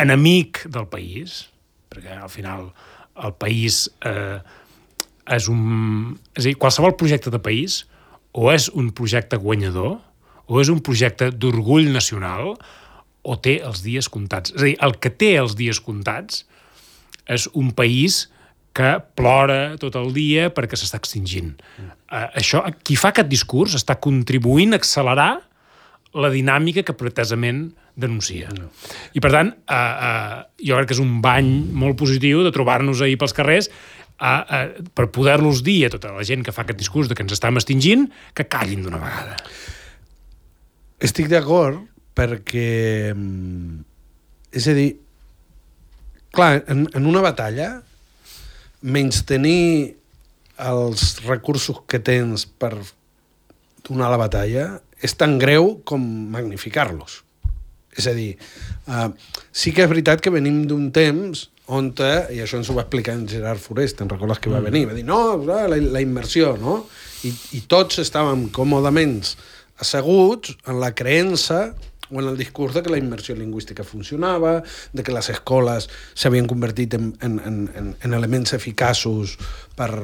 enemic del país, perquè al final el país... és a dir, qualsevol projecte de país o és un projecte guanyador o és un projecte d'orgull nacional o té els dies comptats. És a dir, el que té els dies comptats és un país que plora tot el dia perquè s'està extingint. Qui fa aquest discurs està contribuint a accelerar la dinàmica que pretesament denuncia. I per tant, jo crec que és un bany molt positiu de trobar-nos ahir pels carrers per poder-los dir a tota la gent que fa aquest discurs de que ens estem extingint, que callin d'una vegada. Estic d'acord perquè... És a dir, clar, en una batalla, menystenir els recursos que tens per donar la batalla és tan greu com magnificar-los. És a dir, sí que és veritat que venim d'un temps on, i això ens ho va explicar en Gerard Forest, te'n recordes que va venir? Va dir, no, la immersió, no? I tots estàvem còmodament asseguts en la creença o en el discurs de que la immersió lingüística funcionava, de que les escoles s'havien convertit en elements eficaços per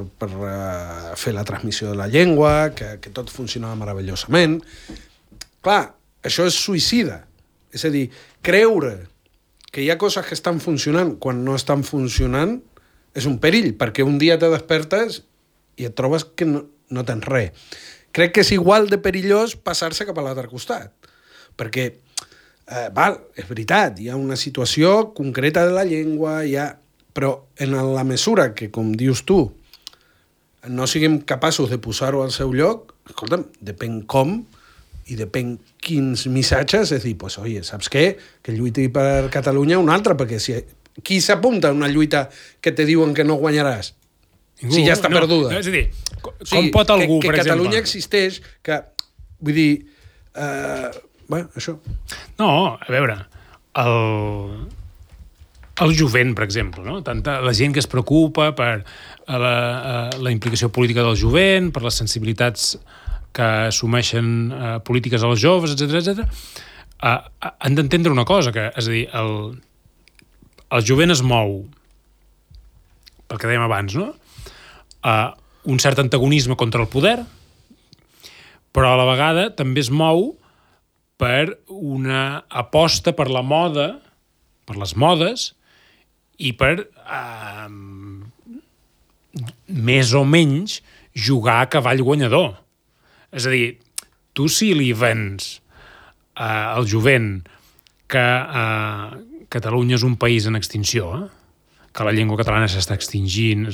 fer la transmissió de la llengua, que tot funcionava meravellosament. Clar, això és suïcida. És a dir, creure que hi ha coses que estan funcionant quan no estan funcionant és un perill, perquè un dia te despertes i et trobes que no tens res. Crec que és igual de perillós passar-se cap a l'altre costat, perquè, és veritat, hi ha una situació concreta de la llengua, però en la mesura que, com dius tu, no siguem capaços de posar-ho al seu lloc, escolta'm, depèn com, i depèn quins missatges, és dir, pues, oye, saps què? Que lluiti per Catalunya un altre, perquè qui s'apunta a una lluita que te diuen que no guanyaràs? Ningú, si ja està perduda. És a dir, com pot algú, per exemple... Que Catalunya existeix, que... Vull dir... això. No, a veure, el jovent, per exemple, no? Tanta la gent que es preocupa per la implicació política del jovent, per les sensibilitats que assumeixen polítiques als joves, etc, han d'entendre una cosa, que, és a dir, el jovent es mou, pel que dèiem abans, no? Un cert antagonisme contra el poder, però a la vegada també es mou per una aposta per la moda, per les modes, i per més o menys jugar a cavall guanyador. És a dir, tu si li vens al jovent que Catalunya és un país en extinció, que la llengua catalana s'està extingint,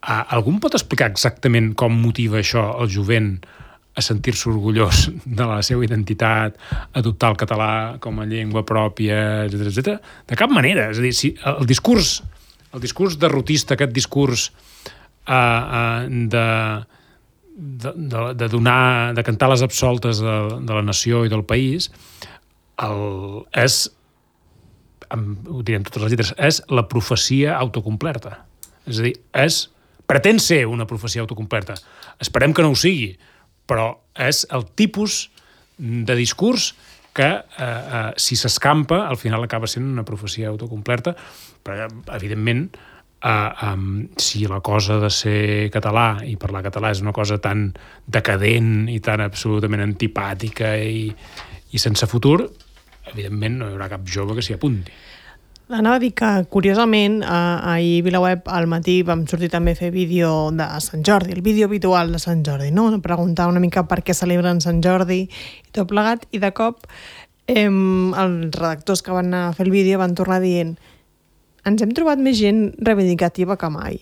algú em pot explicar exactament com motiva això el jovent a sentir-se orgullós de la seva identitat, adoptar el català com a llengua pròpia, etc. De cap manera. És a dir, si el discurs derrotista, aquest discurs de cantar les absoltes de la nació i del país, és, ho direm totes les lletres, és la profecia autocomplerta. És a dir, pretén ser una profecia autocomplerta. Esperem que no ho sigui, però és el tipus de discurs que, si s'escampa, al final acaba sent una profecia autocomplerta, però, evidentment, si la cosa de ser català i parlar català és una cosa tan decadent i tan absolutament antipàtica i sense futur, evidentment no hi haurà cap jove que s'hi apunti. Anava a dir que, curiosament, ahir a VilaWeb al matí vam sortir també a fer vídeo de Sant Jordi, el vídeo habitual de Sant Jordi, no? Preguntar una mica per què celebren Sant Jordi i tot plegat, i de cop els redactors que van anar a fer el vídeo van tornar dient: ens hem trobat més gent reivindicativa que mai.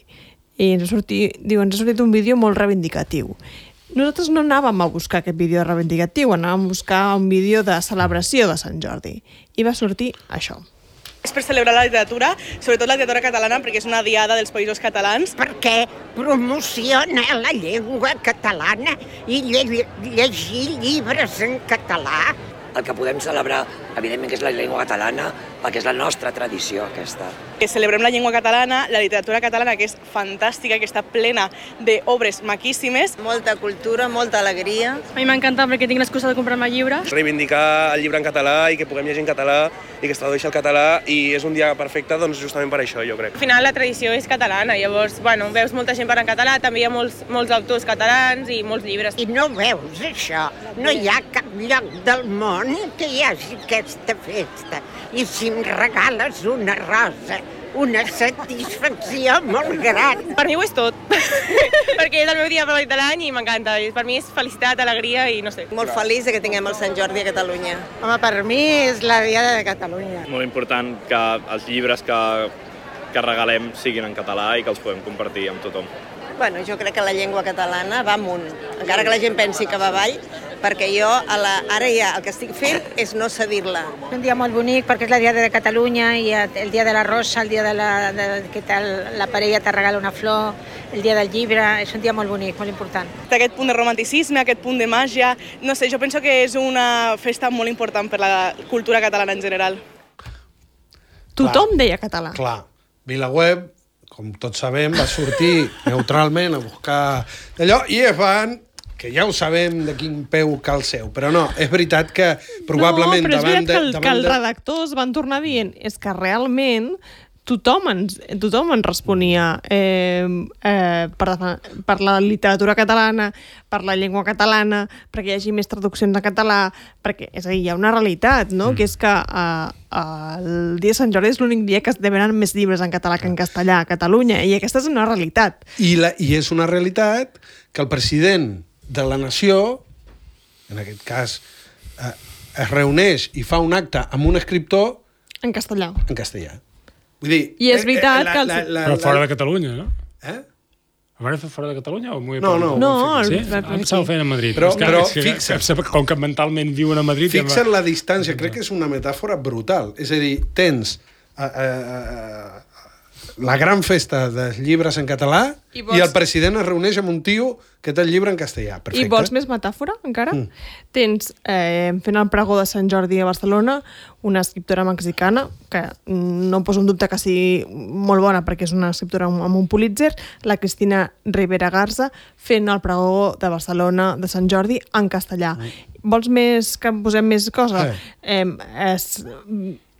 I ens ha sortit un vídeo molt reivindicatiu. Nosaltres no anàvem a buscar aquest vídeo reivindicatiu, anàvem a buscar un vídeo de celebració de Sant Jordi. I va sortir això. És per celebrar la literatura, sobretot la literatura catalana, perquè és una diada dels països catalans. Perquè promociona la llengua catalana i llegir llibres en català. El que podem celebrar, evidentment, que és la llengua catalana, perquè és la nostra tradició, aquesta. Celebrem la llengua catalana, la literatura catalana, que és fantàstica, que està plena d'obres maquíssimes. Molta cultura, molta alegria. A mi m'encanta perquè tinc l'excusa de comprar-me llibres. Reivindicar el llibre en català i que puguem llegir en català i que es tradueixi al català, i és un dia perfecte doncs, justament per això, jo crec. Al final la tradició és catalana, llavors veus molta gent parlant català, també hi ha molts autors catalans i molts llibres. I no veus això? No hi ha cap lloc del món que hi hagi aquesta festa. I si em regales una rosa, una satisfacció molt gran. Per mi ho és tot, perquè és el meu dia favorit de l'any i m'encanta. Per mi és felicitat, alegria i no sé. Molt feliç que tinguem el Sant Jordi a Catalunya. Home, per mi és la Diada de Catalunya. Molt important que els llibres que regalem siguin en català i que els podem compartir amb tothom. Bueno, jo crec que la llengua catalana va amunt, encara que la gent pensi que va avall, perquè jo ara ja el que estic fent és no cedir-la. És un dia molt bonic perquè és la Diada de Catalunya i el dia de la rosa, el dia que la parella te regala una flor, el dia del llibre, és un dia molt bonic, molt important. Aquest punt de romanticisme, aquest punt de màgia, no sé, jo penso que és una festa molt important per la cultura catalana en general. Tothom deia català. Clar, VilaWeb, com tots sabem, va sortir neutralment a buscar allò i es van, que ja ho sabem de quin peu cal seu, però no, és veritat que probablement... No, però és veritat que els redactors van tornar dient és que realment tothom ens responia per la literatura catalana, per la llengua catalana, perquè hi hagi més traduccions en català, perquè, és a dir, hi ha una realitat, no? Que és que el dia de Sant Jordi és l'únic dia que es venen més llibres en català que en castellà a Catalunya, i aquesta és una realitat. I és una realitat que el president de la nació, en aquest cas, es reuneix i fa un acte amb un escriptor en castellà. Vull dir, i és veritat que... Però fora de Catalunya, no? Ho van fer fora de Catalunya? No, sí? Em estava fent a Madrid. Però fixa't... Com que mentalment viuen a Madrid... Fixa't la distància, crec que és una metàfora brutal. És a dir, tens la gran festa dels llibres en català i el president es reuneix amb un tio que té el llibre en castellà. Perfecte. I vols més metàfora, encara? Tens, fent el pregó de Sant Jordi a Barcelona, una escriptora mexicana, que no poso en dubte que sigui molt bona perquè és una escriptora amb un Pulitzer, la Cristina Rivera Garza, fent el pregó de Barcelona de Sant Jordi en castellà. Vols més que posem més cosa?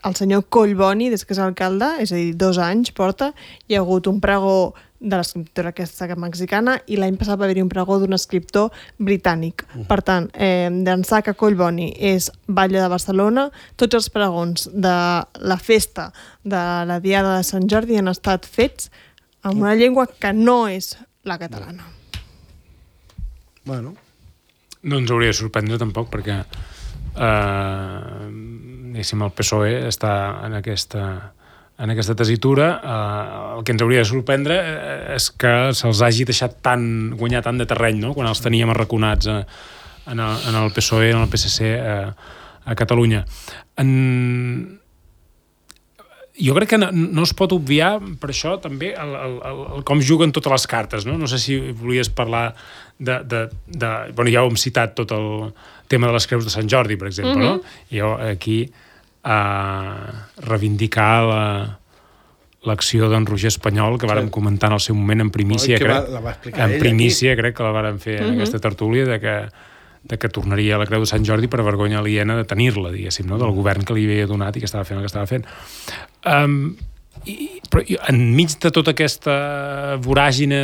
El senyor Collboni, des que és alcalde, és a dir, 2 anys porta, hi ha hagut un pregó de l'escriptora aquesta mexicana i l'any passat va haver-hi un pregó d'un escriptor britànic. Per tant, d'ençà que Collboni és batlle de Barcelona, tots els pregons de la festa de la Diada de Sant Jordi han estat fets en una llengua que no és la catalana. Bueno. No ens hauria de sorprendre tampoc, perquè el PSOE està en aquesta tessitura. El que ens hauria de sorprendre és que se'ls hagi deixat guanyar tant de terreny, no? Quan els teníem arraconats en el PSOE, en el PSC a Catalunya. Jo crec que no es pot obviar per això també com juguen totes les cartes, no? No sé si volies parlar bueno, ja ho hem citat tot el tema de les creus de Sant Jordi, per exemple, no? Jo aquí reivindicar l'acció d'en Roger Espanyol, que vàrem comentar en el seu moment en primícia, crec que la vàrem fer en aquesta tertúlia, de que tornaria a la creu de Sant Jordi per vergonya aliena de tenir-la, diguéssim, no? Del govern que li havia donat i que estava fent el que estava fent. Però enmig de tota aquesta voràgine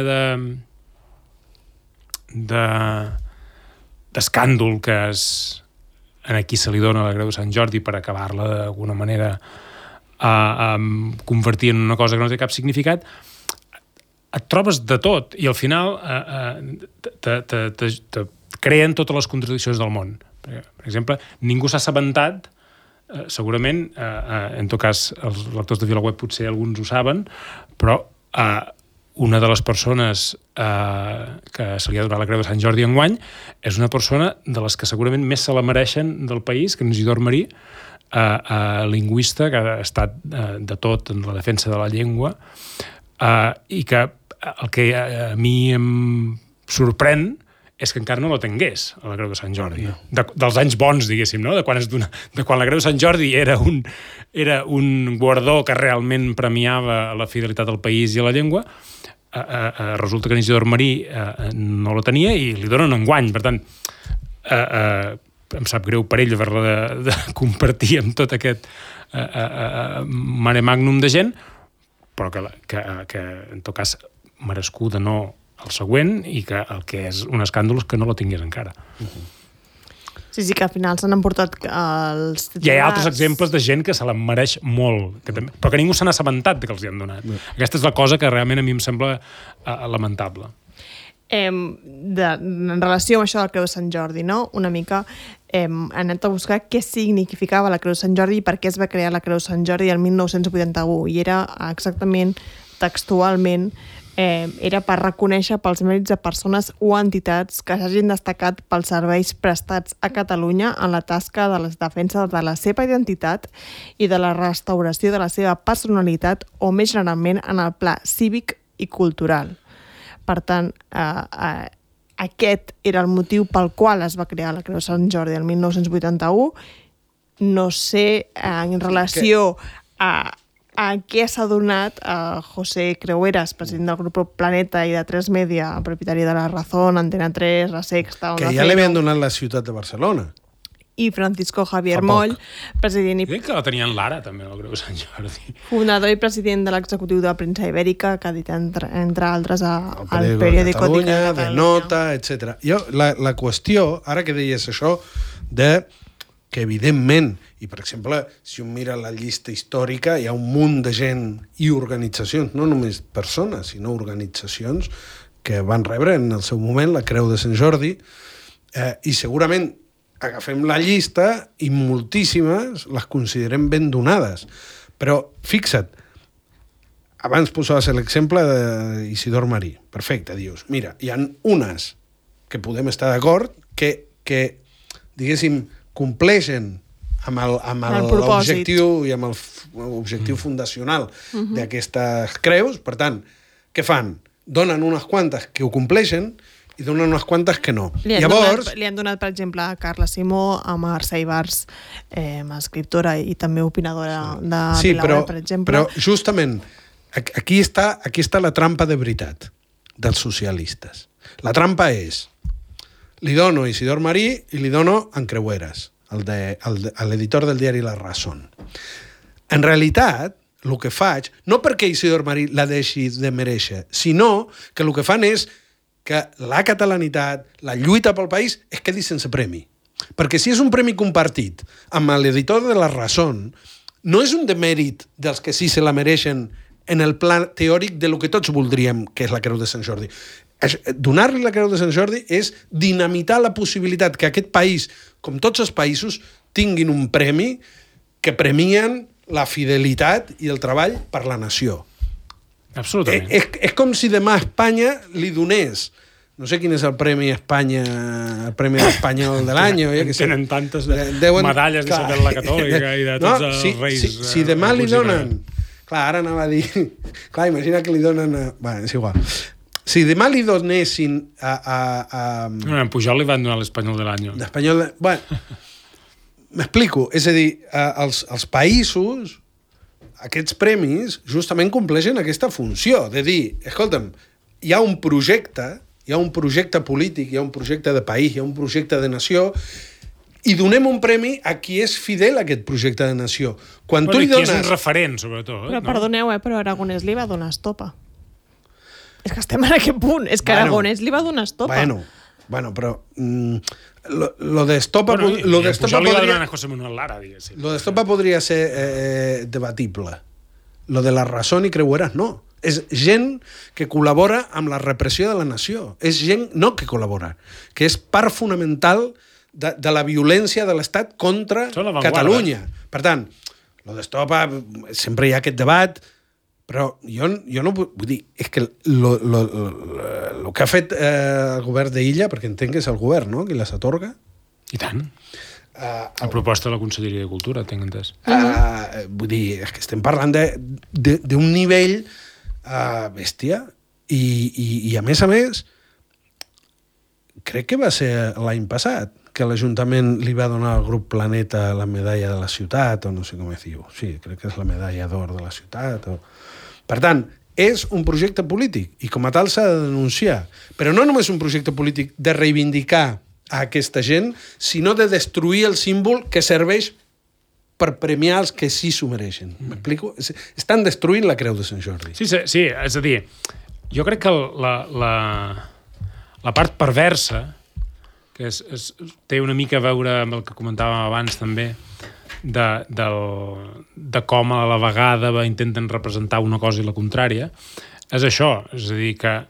d'escàndol que aquí se li dona a la creu de Sant Jordi per acabar-la d'alguna manera convertir en una cosa que no té cap significat, et trobes de tot i al final te creen totes les contradiccions del món. Per exemple, ningú s'ha assabentat, segurament, en tot cas els lectors de VilaWeb potser alguns ho saben, però una de les persones que se li ha donat la creu de Sant Jordi enguany és una persona de les que segurament més se la mereixen del país, que és Isidor Marí, lingüista, que ha estat de tot en la defensa de la llengua, i que el que a mi em sorprèn és que encara no la tingués, a la creu de Sant Jordi. Dels anys bons, diguéssim, no? De quan la creu de Sant Jordi era un guardó que realment premiava la fidelitat al país i a la llengua, resulta que Isidor Marí no la tenia i li donen enguany. Per tant, em sap greu per ell haver-la de compartir amb tot aquest mare magnum de gent, però que en tot cas merescuda no el següent, i que el que és un escàndol és que no la tingués encara. Sí, que al final s'han emportat els titulars. Hi ha altres exemples de gent que se la mereix molt, però que ningú se n'ha assabentat que els hi han donat. Aquesta és la cosa que realment a mi em sembla lamentable. En relació amb això del Creu de Sant Jordi, no? Una mica hem anat a buscar què significava la Creu de Sant Jordi i per què es va crear la Creu de Sant Jordi el 1981, i era exactament, textualment, era per reconèixer pels mèrits de persones o entitats que s'hagin destacat pels serveis prestats a Catalunya en la tasca de la defensa de la seva identitat i de la restauració de la seva personalitat, o més generalment en el pla cívic i cultural. Per tant, aquest era el motiu pel qual es va crear la Creu de Sant Jordi el 1981. No sé, en relació a què s'ha donat José Creueras, president del grup Planeta i de 3 Media, propietari de La Razón, Antena 3, La Sexta... Que ja li havien donat la ciutat de Barcelona. I Francisco Javier Moll, president i... Crec que la tenien l'ara, també, el Creu de Sant Jordi. Fundador i president de l'executiu de la premsa ibèrica, que ha dit, entre altres, al periòdico de Catalunya, de Nota, etc. La qüestió, ara que deies això, que evidentment, i per exemple, si un mira la llista històrica, hi ha un munt de gent i organitzacions, no només persones, sinó organitzacions que van rebre en el seu moment la Creu de Sant Jordi, i segurament agafem la llista i moltíssimes les considerem ben donades. Però fixa't, abans posaves l'exemple d'Isidor Marí. Perfecte, dius, mira, hi ha unes que podem estar d'acord que diguéssim, compleixen l'objectiu i amb l'objectiu fundacional d'aquestes creus. Per tant, què fan? Donen unes quantes que ho compleixen i donen unes quantes que no. Li han donat, per exemple, a Carla Simó, a Mercè Ibars, escriptora i també opinadora de Vilaweb, per exemple. Però justament aquí està la trampa de veritat dels socialistes. La trampa és: li dono a Isidor Marí i li dono a en Creueras, l'editor del diari La Razón. En realitat, el que faig, no perquè Isidor Marí la deixi de mereixer, sinó que el que fan és que la catalanitat, la lluita pel país, es quedi sense premi. Perquè si és un premi compartit amb l'editor de La Razón, no és un demèrit dels que sí se la mereixen en el pla teòric de lo que tots voldríem, que és la Creu de Sant Jordi. Donar-li la Creu de Sant Jordi és dinamitar la possibilitat que aquest país, com tots els països, tinguin un premi que premien la fidelitat i el treball per la nació. Absolutament. És com si demà Espanya li donés, no sé quin és el premi Espanya, el premi espanyol de l'any. Tenen tantes medalles d'Isabel la Catòlica i de tots els reis. Si demà li donen... Clar, ara anava a dir... Clar, imagina que li donen... Bé, és igual. Si demà li donessin a... En Pujol li van donar l'Espanyol de l'any. L'Espanyol de... Bueno, m'explico. És a dir, els països, aquests premis, justament compleixen aquesta funció de dir, escolta'm, hi ha un projecte polític, hi ha un projecte de país, hi ha un projecte de nació, i donem un premi a qui és fidel a aquest projecte de nació. Quan tu li dones... Qui és un referent, sobretot. Però perdoneu, però Aragonès li va donar estopa. És que estem en aquest punt. És que Aragonès li va donar estopa. Bueno, però... Lo de estopa... Lo de estopa li va donar a José Manuel Lara, diguéssim. Lo de estopa podria ser debatible. Lo de La Razón i Creueras, no. És gent que col·labora amb la repressió de la nació. És gent, no que col·labora, que és part fonamental de la violència de l'Estat contra Catalunya. Per tant, lo d'estopa, sempre hi ha aquest debat, però jo no vull dir, és que el que ha fet el govern d'Illa, perquè entenc que és el govern, no?, qui les atorga. I tant. A proposta de la Conselleria de Cultura, tinc entès. Vull dir, és que estem parlant d'un nivell bèstia i a més, crec que va ser l'any passat que l'Ajuntament li va donar al grup Planeta la medalla de la ciutat, o no sé com es diu. Sí, crec que és la medalla d'or de la ciutat. Per tant, és un projecte polític i com a tal s'ha de denunciar. Però no només un projecte polític de reivindicar a aquesta gent, sinó de destruir el símbol que serveix per premiar els que sí s'ho mereixen. M'explico? Estan destruint la Creu de Sant Jordi. Sí, és a dir, jo crec que la part perversa, que té una mica a veure amb el que comentàvem abans també, de com a la vegada intenten representar una cosa i la contrària, és això. És a dir, que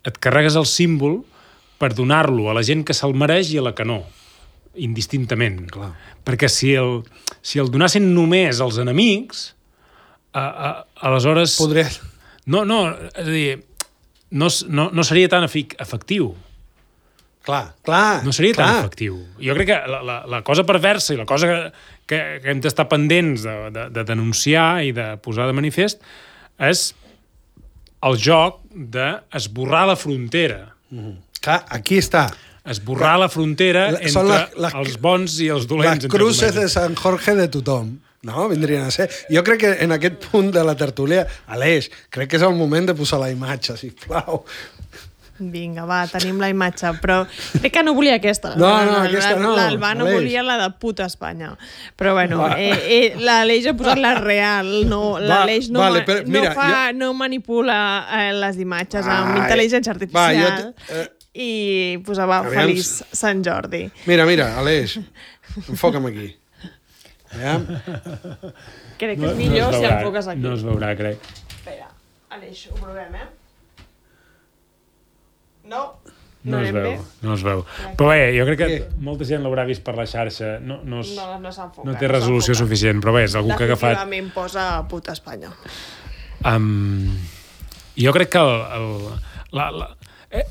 et carregues el símbol per donar-lo a la gent que se'l mereix i a la que no, indistintament. Clar. Perquè si el donassin només als enemics, aleshores... Podria... No, és a dir, no seria tan efectiu. Clar. No seria tan efectiu. Jo crec que la cosa perversa i la cosa que hem d'estar pendents de denunciar i de posar de manifest és el joc d'esborrar la frontera. Clar, aquí està. Esborrar la frontera entre els bons i els dolents. Les cruces de Sant Jorge de tothom. No, vindrien a ser. Jo crec que en aquest punt de la tertúlia, Aleix, crec que és el moment de posar la imatge, sisplau. Vinga, va, tenim la imatge, però crec que no volia aquesta. No, aquesta no. L'Albano volia la de puta Espanya. Però bueno, l'Aleix ha posat la real, no, l'Aleix no manipula les imatges amb intel·ligència artificial i posava feliç Sant Jordi. Mira, Aleix, enfoca'm aquí. Crec que és millor si enfoques aquí. No es veurà, crec. Espera, Aleix, ho provem, No es veu. Però bé, jo crec que molta gent l'haurà vist per la xarxa. No s'enfoca. No té resolució suficient, però bé, és algú que ha agafat... Definitivament posa puta Espanya. Jo crec que a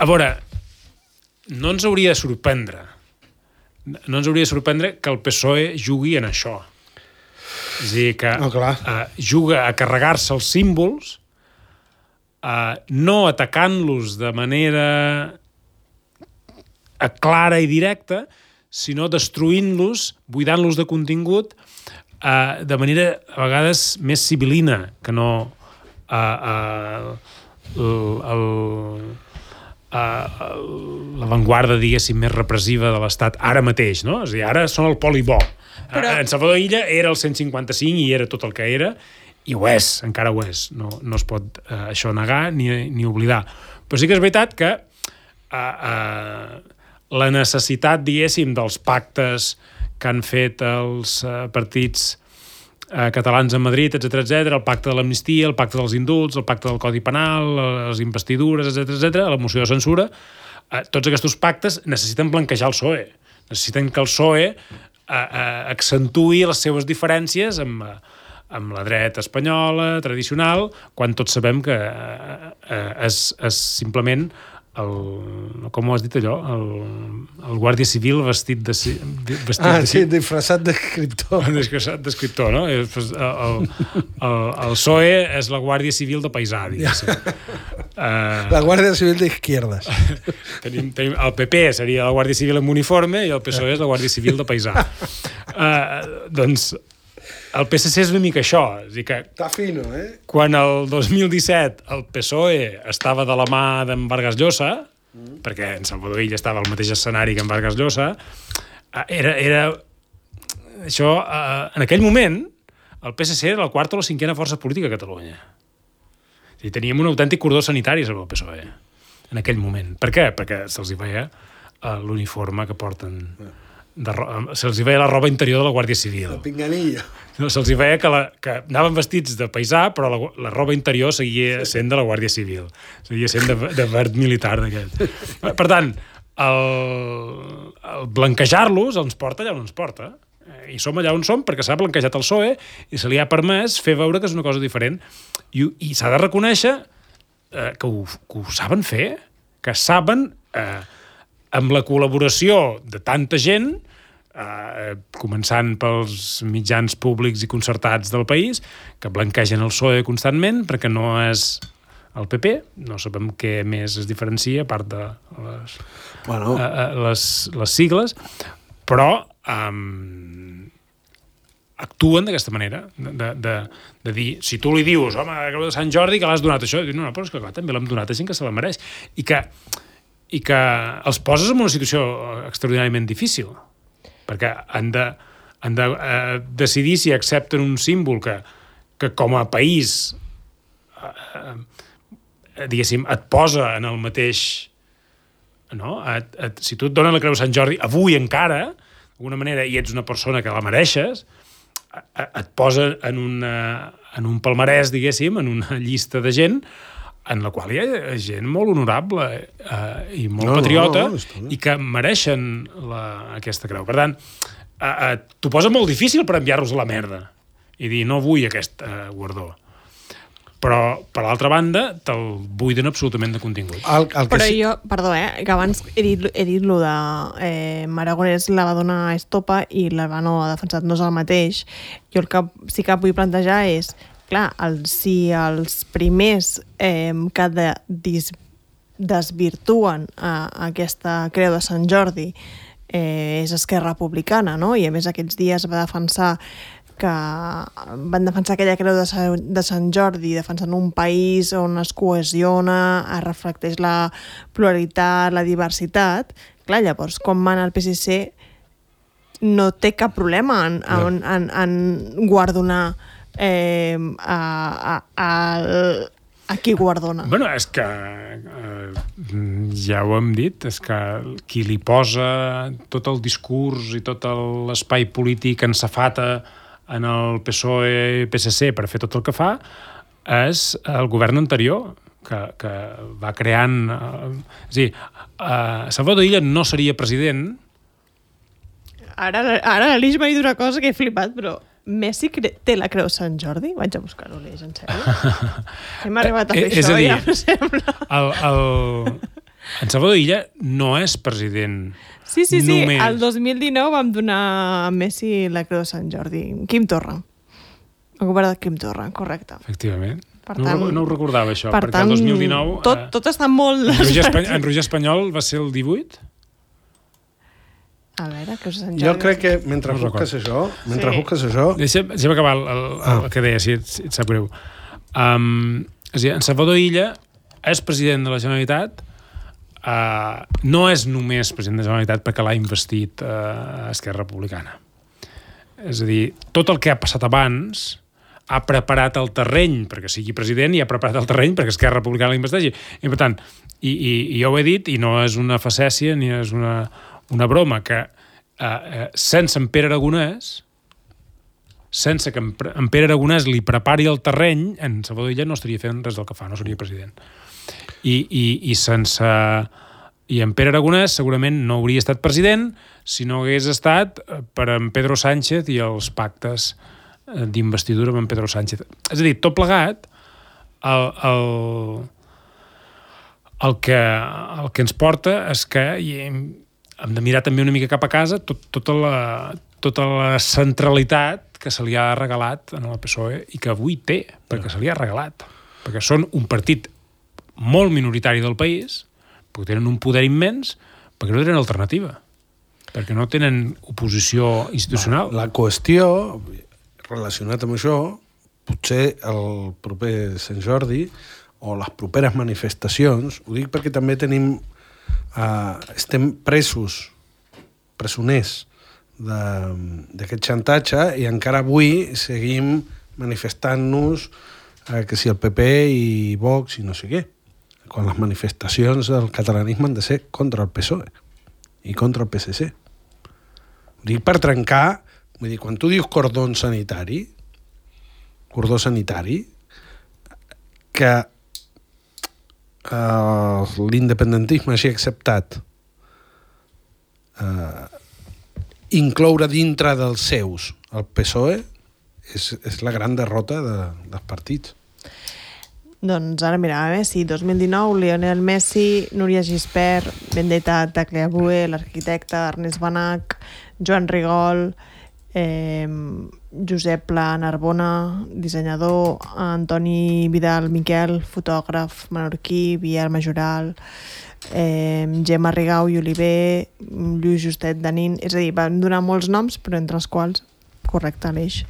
veure, no ens hauria de sorprendre no ens hauria de sorprendre que el PSOE jugui en això. És a dir, que juga a carregar-se els símbols, no atacant-los de manera clara i directa, sinó destruint-los, buidant-los de contingut, de manera, a vegades, més sibil·lina, que no l'avantguarda, diguéssim, més repressiva de l'Estat ara mateix, no? És a dir, ara són el poli bo. En Salvador Illa era el 155 i era tot el que era, i ho és, encara ho és. No es pot això negar ni oblidar. Però sí que és veritat que la necessitat, diguéssim, dels pactes que han fet els partits catalans a Madrid, etc., el pacte de l'amnistia, el pacte dels indults, el pacte del Codi Penal, les investidures, etc., la moció de censura, tots aquests pactes necessiten blanquejar el PSOE. Necessiten que el PSOE accentui les seves diferències amb la dreta espanyola, tradicional, quan tots sabem que és simplement com ho has dit allò? El guàrdia civil vestit de... disfressat d'escriptor. Disfressat d'escriptor, no? El PSOE és la guàrdia civil de paisà, diguéssim. La guàrdia civil d'izquierdes. El PP seria la guàrdia civil amb uniforme i el PSOE és la guàrdia civil de paisà. Doncs el PSC és una mica això. És dir que està fino, quan el 2017 el PSOE estava de la mà d'en Vargas Llosa, perquè en Salvador Illa estava al mateix escenari que en Vargas Llosa, era això, en aquell moment el PSC era la quarta o la cinquena força política a Catalunya. És dir, teníem un autèntic cordó sanitari sobre el PSOE en aquell moment. Per què? Perquè se'ls hi veia l'uniforme que porten... se'ls hi veia la roba interior de la Guàrdia Civil. El pinganillo. Se'ls hi veia que anaven vestits de paisà, però la roba interior seguia sent de la Guàrdia Civil. Seguia sent de verd militar d'aquest. Per tant, el blanquejar-los ens porta allà on ens porta. I som allà on som perquè s'ha blanquejat el PSOE i se li ha permès fer veure que és una cosa diferent. I s'ha de reconèixer que ho saben fer, que saben... amb la col·laboració de tanta gent, començant pels mitjans públics i concertats del país, que blanquegen el PSOE constantment, perquè no és el PP, no sabem què més es diferencia, a part de les sigles, però actuen d'aquesta manera, de dir, si tu li dius, home, la Creu de Sant Jordi, que l'has donat això, no, però és que clar, també l'hem donat a gent que se la mereix, i que els poses en una situació extraordinàriament difícil, perquè han de decidir si accepten un símbol que com a país diguéssim, et posa en el mateix... No? Si tu et donen la Creu de Sant Jordi avui encara, d'alguna manera, i ets una persona que la mereixes, et posa en un palmarès, diguéssim, en una llista de gent en la qual hi ha gent molt honorable i molt patriota i que mereixen aquesta creu. Per tant, t'ho posa molt difícil per enviar-los a la merda i dir, no vull aquest guardó. Però, per l'altra banda, te'l buiden absolutament de contingut. Però jo, perdó, que abans he dit lo de Aragonès la va donar a Estopa i l'Albano ha defensat, no és el mateix. Jo el que sí que vull plantejar és clar, si els primers que desvirtuen aquesta Creu de Sant Jordi és Esquerra Republicana, no? I a més aquests dies van defensar aquella Creu de Sant Jordi defensant un país on es cohesiona, es reflecteix la pluralitat, la diversitat. Clar, llavors, com mana el PSC no té cap problema en guardonar a qui guardona. Bueno, és que ja ho hem dit, és que qui li posa tot el discurs i tot l'espai polític en safata en el PSOE i PSC per fer tot el que fa és el govern anterior que va creant... És a dir, Salvador Illa no seria president. Ara l'Alix m'ha dit una cosa que he flipat, però Messi té la Creu Sant Jordi? Vaig a buscar-ho, Aleix, en sèrio. Hem arribat a fer això, ja em sembla. En Salvador Illa no és president. Sí. Només. El 2019 vam donar a Messi la Creu de Sant Jordi. Quim Torra. El govern de Quim Torra, correcte. Efectivament. Per tant, no ho recordava, això, per perquè tant, el 2019... Tot està molt... En Roger Espanyol va ser el 18? A veure, Creu de Sant Jordi... Jo crec que mentre busques això... Deixa'm acabar el que deia, si et sap greu. És a dir, en Salvador Illa és president de la Generalitat, no és només president de la Generalitat perquè l'ha investit Esquerra Republicana. És a dir, tot el que ha passat abans ha preparat el terreny perquè sigui president i ha preparat el terreny perquè Esquerra Republicana l'investeixi. I per tant, i jo ho he dit, i no és una facècia ni és una broma, que sense en Pere Aragonès, sense que en Pere Aragonès li prepari el terreny, en Salvador Illa no estaria fent res del que fa, no seria president. I sense... I en Pere Aragonès segurament no hauria estat president si no hagués estat per en Pedro Sánchez i els pactes d'investidura amb en Pedro Sánchez. És a dir, tot plegat, el que ens porta és que hem de mirar també una mica cap a casa tota la centralitat que se li ha regalat en el PSOE i que avui té, perquè se li ha regalat. Perquè són un partit molt minoritari del país, perquè tenen un poder immens, perquè no tenen alternativa, perquè no tenen oposició institucional. La qüestió, relacionat amb això, potser el proper Sant Jordi o les properes manifestacions, ho dic perquè també estem presoners d'aquest xantatge i encara avui seguim manifestant-nos que si el PP i Vox i no sé què, quan les manifestacions del catalanisme han de ser contra el PSOE i contra el PSC. Ho dic per trencar, vull dir, quan tu dius cordó sanitari, que l'independentisme hagi acceptat incloure dintre dels seus el PSOE és la gran derrota dels partits. Doncs ara mira, Messi, 2019, Lionel Messi, Núria Gispert, Vendetta Tagliabue, l'arquitecte Ernest Benach, Joan Rigol, Josep Pla Narbona, dissenyador, Antoni Vidal Miquel, fotògraf menorquí, Biel Majoral, Gemma Rigau i Oliver, Lluís Justet Danin, és a dir, van donar molts noms, però entre els quals, correcte, l'eix,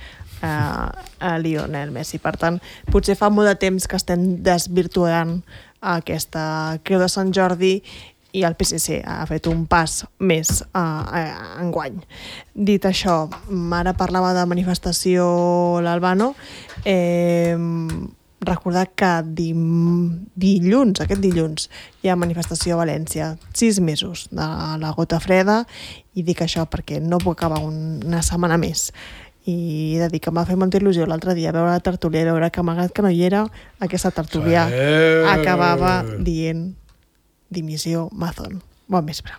a Lionel Messi. Per tant, potser fa molt de temps que estem desvirtuant aquesta Creu de Sant Jordi i el PSC ha fet un pas més enguany. Dit això, ara parlava de manifestació l'Albano, recordar que aquest dilluns, hi ha manifestació a València, 6 mesos de la gota freda, i dic això perquè no puc acabar una setmana més. I he de dir que m'ha fet molta il·lusió l'altre dia veure la tertúlia i veure que malgrat que no hi era, aquesta tertúlia acabava dient dimissió Mazón. Bon vespre.